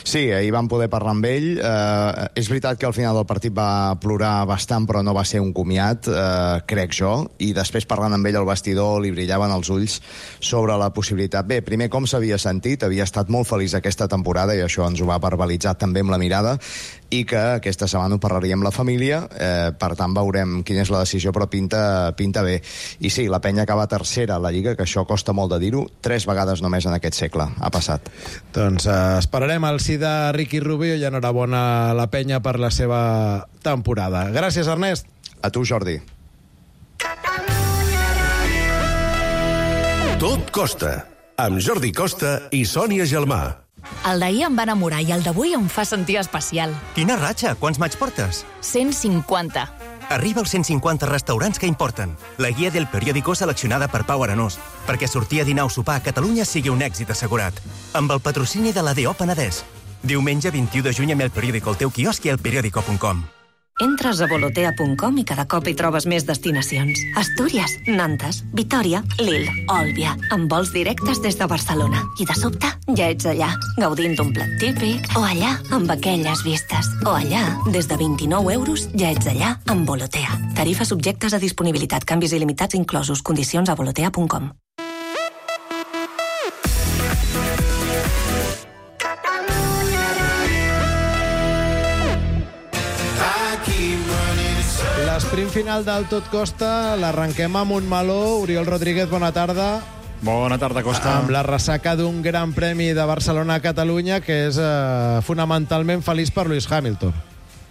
Sí, ahir vam poder parlar amb ell. És veritat que al final del partit va plorar bastant, però no va ser un comiat, crec jo, i després parlant amb ell al vestidor li brillaven els ulls sobre la possibilitat. Bé, primer com s'havia sentit, havia estat molt feliç aquesta temporada i això ens ho va verbalitzar també amb la mirada, i que aquesta setmana ho parlaria amb la família, per tant veurem quina és la decisió, però pinta bé. I sí, la Penya acaba tercera a la Lliga, que això costa molt de dir-ho, 3 vegades només en aquest segle ha passat. Doncs esperarem el sí de Ricky Rubio i enhorabona a la Penya per la seva temporada. Gràcies, Ernest. A tu, Jordi. Tot costa, amb Jordi Costa i Sònia Gelmà. El d'ahir em va enamorar i el d'avui em fa sentir especial. Quina ratxa? Quants maig portes? 150. Arriba als 150 restaurants que importen. La guia del periòdico seleccionada per Pau Aranós, perquè sortir a dinar o sopar a Catalunya sigui un èxit assegurat. Amb el patrocini de la D.O. Penedès. Diumenge 21 de juny amb el periòdico al teu quiosc i al periódico.com. Entres a volotea.com i cada cop hi trobes més destinacions. Astúries, Nantes, Vitòria, Lille, Òlbia, amb vols directes des de Barcelona. I de sobte ja ets allà, gaudint d'un plat típic, o allà, amb aquelles vistes, o allà, des de 29 euros, ja ets allà, amb Volotea. Tarifes subjectes a disponibilitat, canvis il·limitats inclosos, condicions a volotea.com. L'esprint final del Tot Costa l'arrenquem amb un meló. Oriol Rodríguez, bona tarda. Bona tarda, Costa. Amb la ressaca d'un gran premi de Barcelona a Catalunya que és fonamentalment feliç per Lewis Hamilton.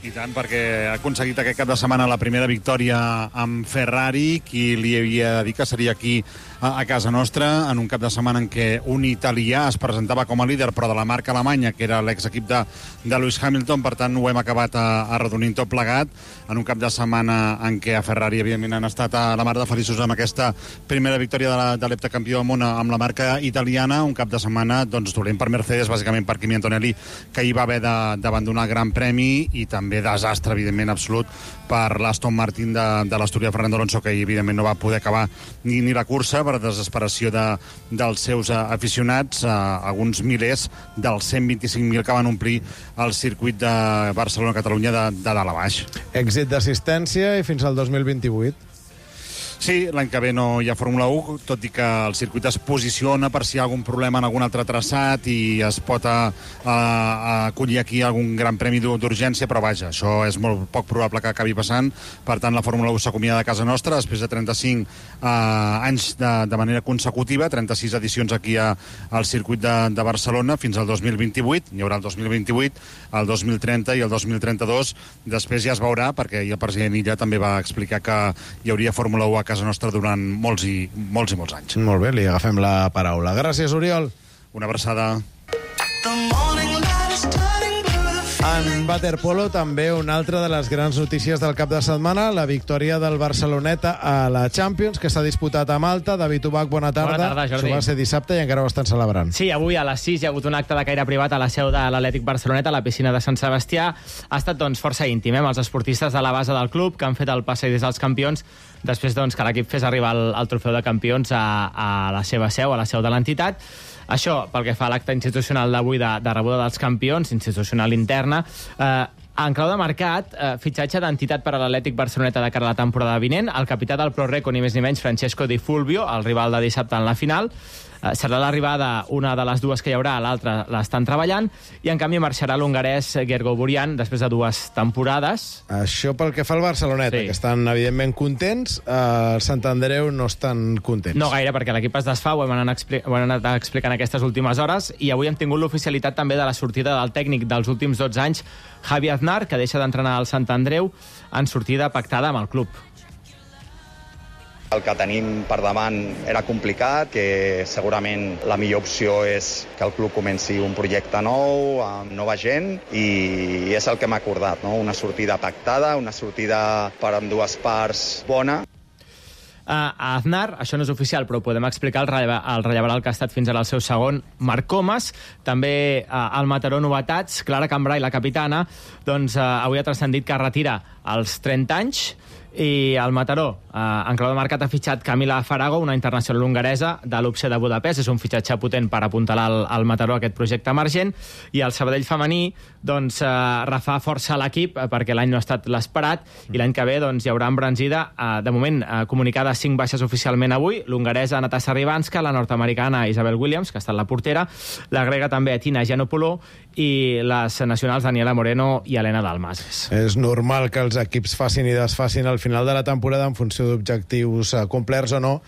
I tant, perquè ha aconseguit aquest cap de setmana la primera victòria amb Ferrari, qui li havia dit que seria aquí a casa nostra, en un cap de setmana en què un italià es presentava com a líder, però de la marca alemanya, que era l'exequip de Lewis Hamilton. Per tant, ho hem acabat arrodonint tot plegat, en un cap de setmana en què a Ferrari, evidentment, han estat a la mar de feliços amb aquesta primera victòria de l'heptacampió del món amb la marca italiana. Un cap de setmana doncs, dolent per Mercedes, bàsicament per Kimi Antonelli, que hi va haver d'abandonar el Gran Premi, i també desastre, evidentment, absolut per l'Aston Martin de l'asturià Fernando Alonso, que evidentment no va poder acabar ni la cursa per desesperació dels seus aficionats, alguns milers dels 125.000 que van omplir el circuit de Barcelona-Catalunya de dalt a baix. Èxit d'assistència i fins al 2028. Sí, l'any que ve no hi ha Fórmula 1, tot i que el circuit es posiciona per si hi ha algun problema en algun altre traçat i es pot acollir aquí algun gran premi d'urgència, però vaja, això és molt poc probable que acabi passant. Per tant, la Fórmula 1 s'acomiada de casa nostra després de 35 anys de manera consecutiva, 36 edicions aquí al circuit de Barcelona fins al 2028. Hi haurà el 2028, el 2030 i el 2032. Després ja es veurà, perquè el president Illa també va explicar que hi hauria Fórmula 1 a casa nostra durant molts i molts anys. Molt bé, li agafem la paraula. Gràcies, Oriol. Una abraçada. En waterpolo, també una altra de les grans notícies del cap de setmana, la victòria del Barceloneta a la Champions, que s'ha disputat a Malta. David Ubach, bona tarda. Bona tarda, Jordi. Això va ser dissabte i encara ho estan celebrant. Sí, avui a les 6 hi ha hagut un acte de caire privat a la seu de l'Atlètic Barceloneta, a la piscina de Sant Sebastià. Ha estat, doncs, força íntim, amb els esportistes de la base del club, que han fet el passeig des dels campions, després, doncs, que l'equip fes arribar el trofeu de campions a la seva seu, a la seu de l'entitat. Això, pel que fa a l'acte institucional d'avui de rebuda dels campions, institucional interna, en clau de mercat, fitxatge d'entitat per a l'Atlètic Barceloneta de cara a la temporada vinent, el capità del Pro Reco, ni més ni menys, Francesco Di Fulvio, el rival de dissabte en la final. Serà l'arribada una de les dues que hi haurà, l'altra l'estan treballant, i en canvi marxarà l'hongarès Gergo Burian després de 2 temporades. Això pel que fa al Barceloneta, sí, que estan evidentment contents. El Sant Andreu no estan contents. No gaire, perquè l'equip es desfà, ho hem anat explicant aquestes últimes hores, i avui hem tingut l'oficialitat també de la sortida del tècnic dels últims 12 anys, Javi Aznar, que deixa d'entrenar al Sant Andreu en sortida pactada amb el club. El que tenim per davant era complicat, que segurament la millor opció és que el club comenci un projecte nou, amb nova gent, i és el que hem acordat, no? Una sortida pactada, una sortida per ambdues parts bona. A Aznar, això no és oficial, però ho podem explicar, el rellevarà el que ha estat fins ara el seu segon, Marc Comas. També al Mataró novetats, Clara Cambrai, la capitana, doncs avui ha transcendit que retira als 30 anys, I el Mataró, en clau de mercat, ha fitxat Camila Farago, una internacional hongaresa de l'UPC de Budapest. És un fitxatge potent per apuntalar al Mataró aquest projecte emergent. I el Sabadell femení refà força l'equip perquè l'any no ha estat l'esperat i l'any que ve hi haurà embranzida, de moment comunicades 5 baixes oficialment avui: l'hongaresa Natasha Ribanska, la nord-americana Isabel Williams, que ha estat la portera, la grega també Tina Giannopoulou i les nacionals Daniela Moreno i Helena Dalmases. És normal que els equips facin i desfacin al final de la temporada en funció d'objectius complerts o no.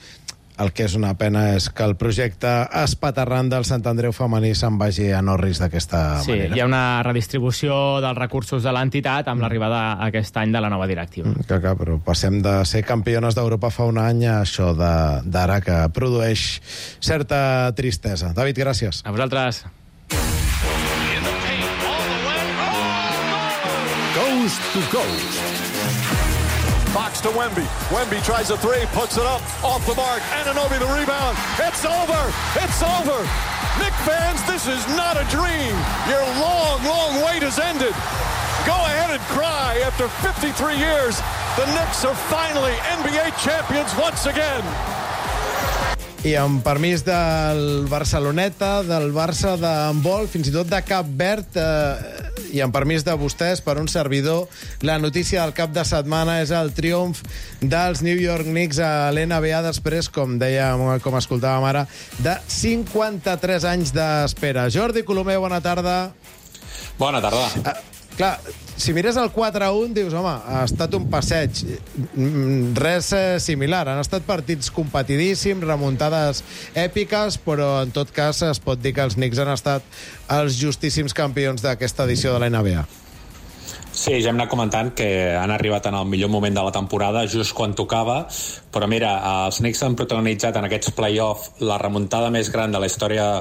El que és una pena és que el projecte espaterrant del Sant Andreu femení se'n vagi a Norris d'aquesta manera. Sí, hi ha una redistribució dels recursos de l'entitat amb l'arribada aquest any de la nova directiva. Clar, però passem de ser campiones d'Europa fa un any a això d'ara, que produeix certa tristesa. David, gràcies. A vosaltres. Coast to coast. Fox to Wemby. Wemby tries a three, puts it up, off the mark. Anunoby the rebound. It's over. It's over. Knick fans, this is not a dream. Your long, long wait has ended. Go ahead and cry. After 53 years, the Knicks are finally NBA champions once again. I amb permís del Barceloneta, del Barça d'handbol, fins i tot de Cap Verd, i amb permís de vostès, per un servidor, la notícia del cap de setmana és el triomf dels New York Knicks a l'NBA després, com dèiem, com escoltàvem ara, de 53 anys d'espera. Jordi Colomer, bona tarda. Bona tarda. Clar, si mires el 4-1, dius, home, ha estat un passeig. Res similar. Han estat partits competidíssims, remuntades èpiques, però en tot cas es pot dir que els Knicks han estat els justíssims campions d'aquesta edició de la NBA. Sí, ja hem anat comentant que han arribat en el millor moment de la temporada, just quan tocava, però mira, els Knicks han protagonitzat en aquests play-off la remuntada més gran de la història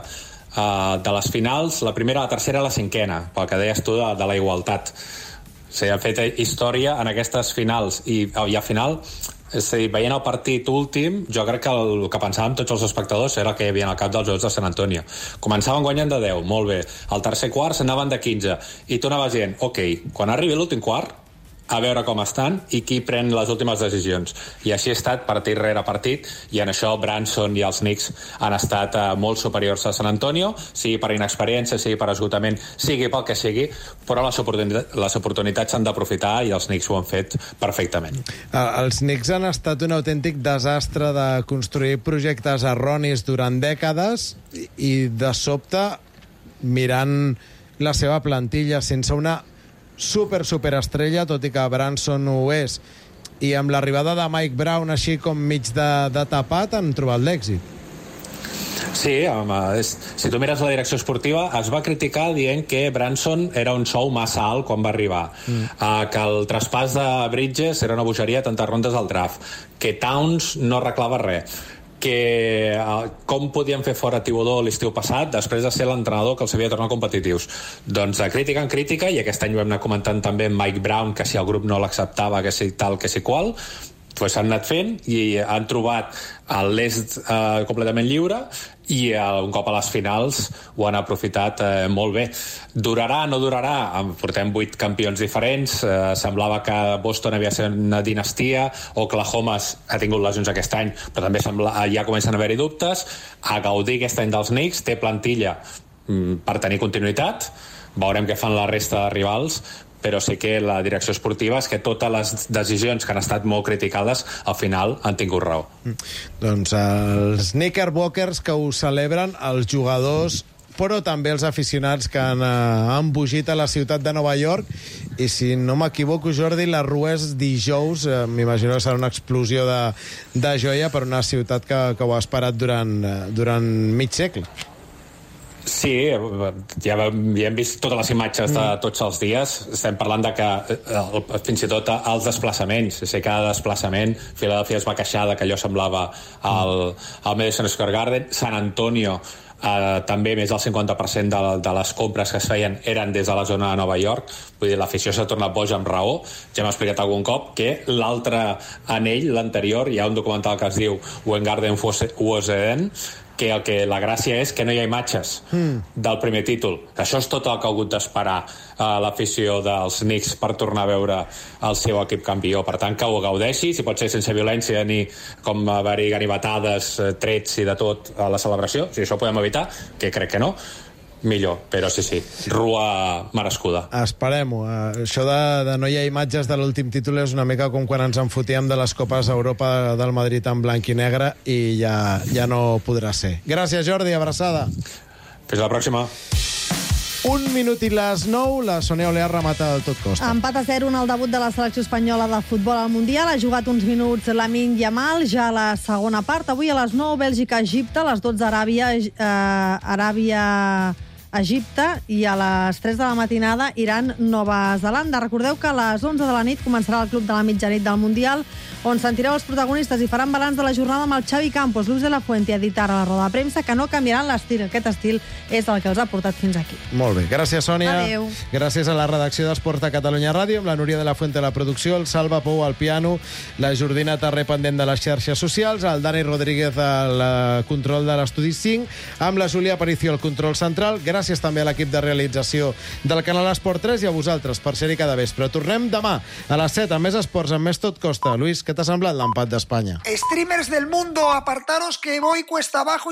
de les finals, la primera, la tercera i la cinquena, pel que deies tu de la igualtat. O sigui, han fet història en aquestes finals i a final, és a dir, veient el partit últim, jo crec que el que pensàvem tots els espectadors era el que hi havia al cap dels jugadors de Sant Antonio. Començaven guanyant de 10, molt bé. Al tercer quart s'anaven de 15 i tu anaves dient, ok, quan arribi l'últim quart, a veure com estan i qui pren les últimes decisions. I així ha estat partit rere partit, i en això Branson i els Knicks han estat molt superiors a San Antonio, sigui per inexperiència, sigui per esgotament, sigui pel que sigui, però les oportunitats s'han d'aprofitar i els Knicks ho han fet perfectament. Els Knicks han estat un autèntic desastre de construir projectes erronis durant dècades i de sobte, mirant la seva plantilla sense una superestrella, tot i que Branson ho és, i amb l'arribada de Mike Brown així com mig de tapat, han trobat l'èxit. Sí, si tu mires la direcció esportiva, es va criticar dient que Branson era un sou massa alt quan va arribar, que el traspàs de Bridges era una bogeria a tantes rondes al draft, que Towns no arreglava res, que com podien fer fora Thibodeau l'estiu passat després de ser l'entrenador que els havia tornat competitius. Doncs de crítica en crítica, i aquest any ho hem anat comentant també amb Mike Brown, que si el grup no l'acceptava, que si tal, que si qual, doncs s'han anat fent i han trobat l'est completament lliure, i un cop a les finals ho han aprofitat molt bé. Durarà, no durarà? Portem 8 campions diferents, semblava que Boston havia de ser una dinastia, Oklahoma ha tingut lesions aquest any, però també ja comencen a haver-hi dubtes. A gaudir aquest any dels Knicks, té plantilla per tenir continuïtat, veurem què fan la resta de rivals, però sé que la direcció esportiva és que totes les decisions que han estat molt criticades al final han tingut raó. Doncs els Knickerbockers que ho celebren, els jugadors, però també els aficionats que han embogit a la ciutat de Nova York, i si no m'equivoco, Jordi, la Rua és dijous, m'imagino que serà una explosió de joia per una ciutat que ho ha esperat durant mig segle. Sí, ja hem vist totes les imatges de tots els dies. Estem parlant de que fins i tot els desplaçaments, sé que cada desplaçament Philadelphia es va queixar de que allò semblava al Madison Square Garden. San Antonio també més del 50% de les compres que es feien eren des de la zona de Nova York. Vull dir, l'afició s'ha tornat boja amb raó. Ja hem explicat algun cop que l'altre anell, l'anterior, hi ha un documental que es diu When Garden Was Eden, que la gràcia és que no hi ha imatges del primer títol. Això és tot el que ha hagut d'esperar l'afició dels Knicks per tornar a veure el seu equip campió. Per tant, que ho gaudeixi, si pot ser sense violència ni com haver-hi ganivetades, trets i de tot a la celebració. Si això ho podem evitar, que crec que no, millor, però sí, rua merescuda. Esperem-ho. Això de no hi ha imatges de l'últim títol és una mica com quan ens enfotíem de les Copes d'Europa del Madrid en blanc i negre i ja no podrà ser. Gràcies, Jordi, abraçada. Fins la pròxima. 1 minut i les 9, la Sònia Olear remata el tot costa. Empat a 0 en el debut de la selecció espanyola de futbol al Mundial. Ha jugat uns minuts Lamine Yamal, ja a la segona part. Avui a les 9, Bèlgica-Egipte, a les 12, Aràbia-Egipte i a les 3 de la matinada Iran-Nova Zelanda. Recordeu que a les 11 de la nit començarà el Club de la Mitjanit del Mundial, on sentireu els protagonistes i faran balanç de la jornada amb el Xavi Campos. Luis de la Fuente ha dit ara a la roda de premsa que no canviaran l'estil. Aquest estil és el que els ha portat fins aquí. Molt bé. Gràcies, Sònia. Adéu. Gràcies a la redacció d'Esport a Catalunya Ràdio, amb la Núria de la Fuente a la producció, el Salva Pou al piano, la Jordina Tarré pendent de les xarxes socials, el Dani Rodríguez al control de l'Estudi 5, amb la Júlia Aparicio al control central. Gràcies també a l'equip de realització del canal Esport 3 i a vosaltres per ser-hi cada vespre. Tornem demà a les 7 amb més esports, amb més tot costa. Luis, què t'ha semblat l'empat d'Espanya? Streamers del mundo, apartaros que voy cuesta abajo.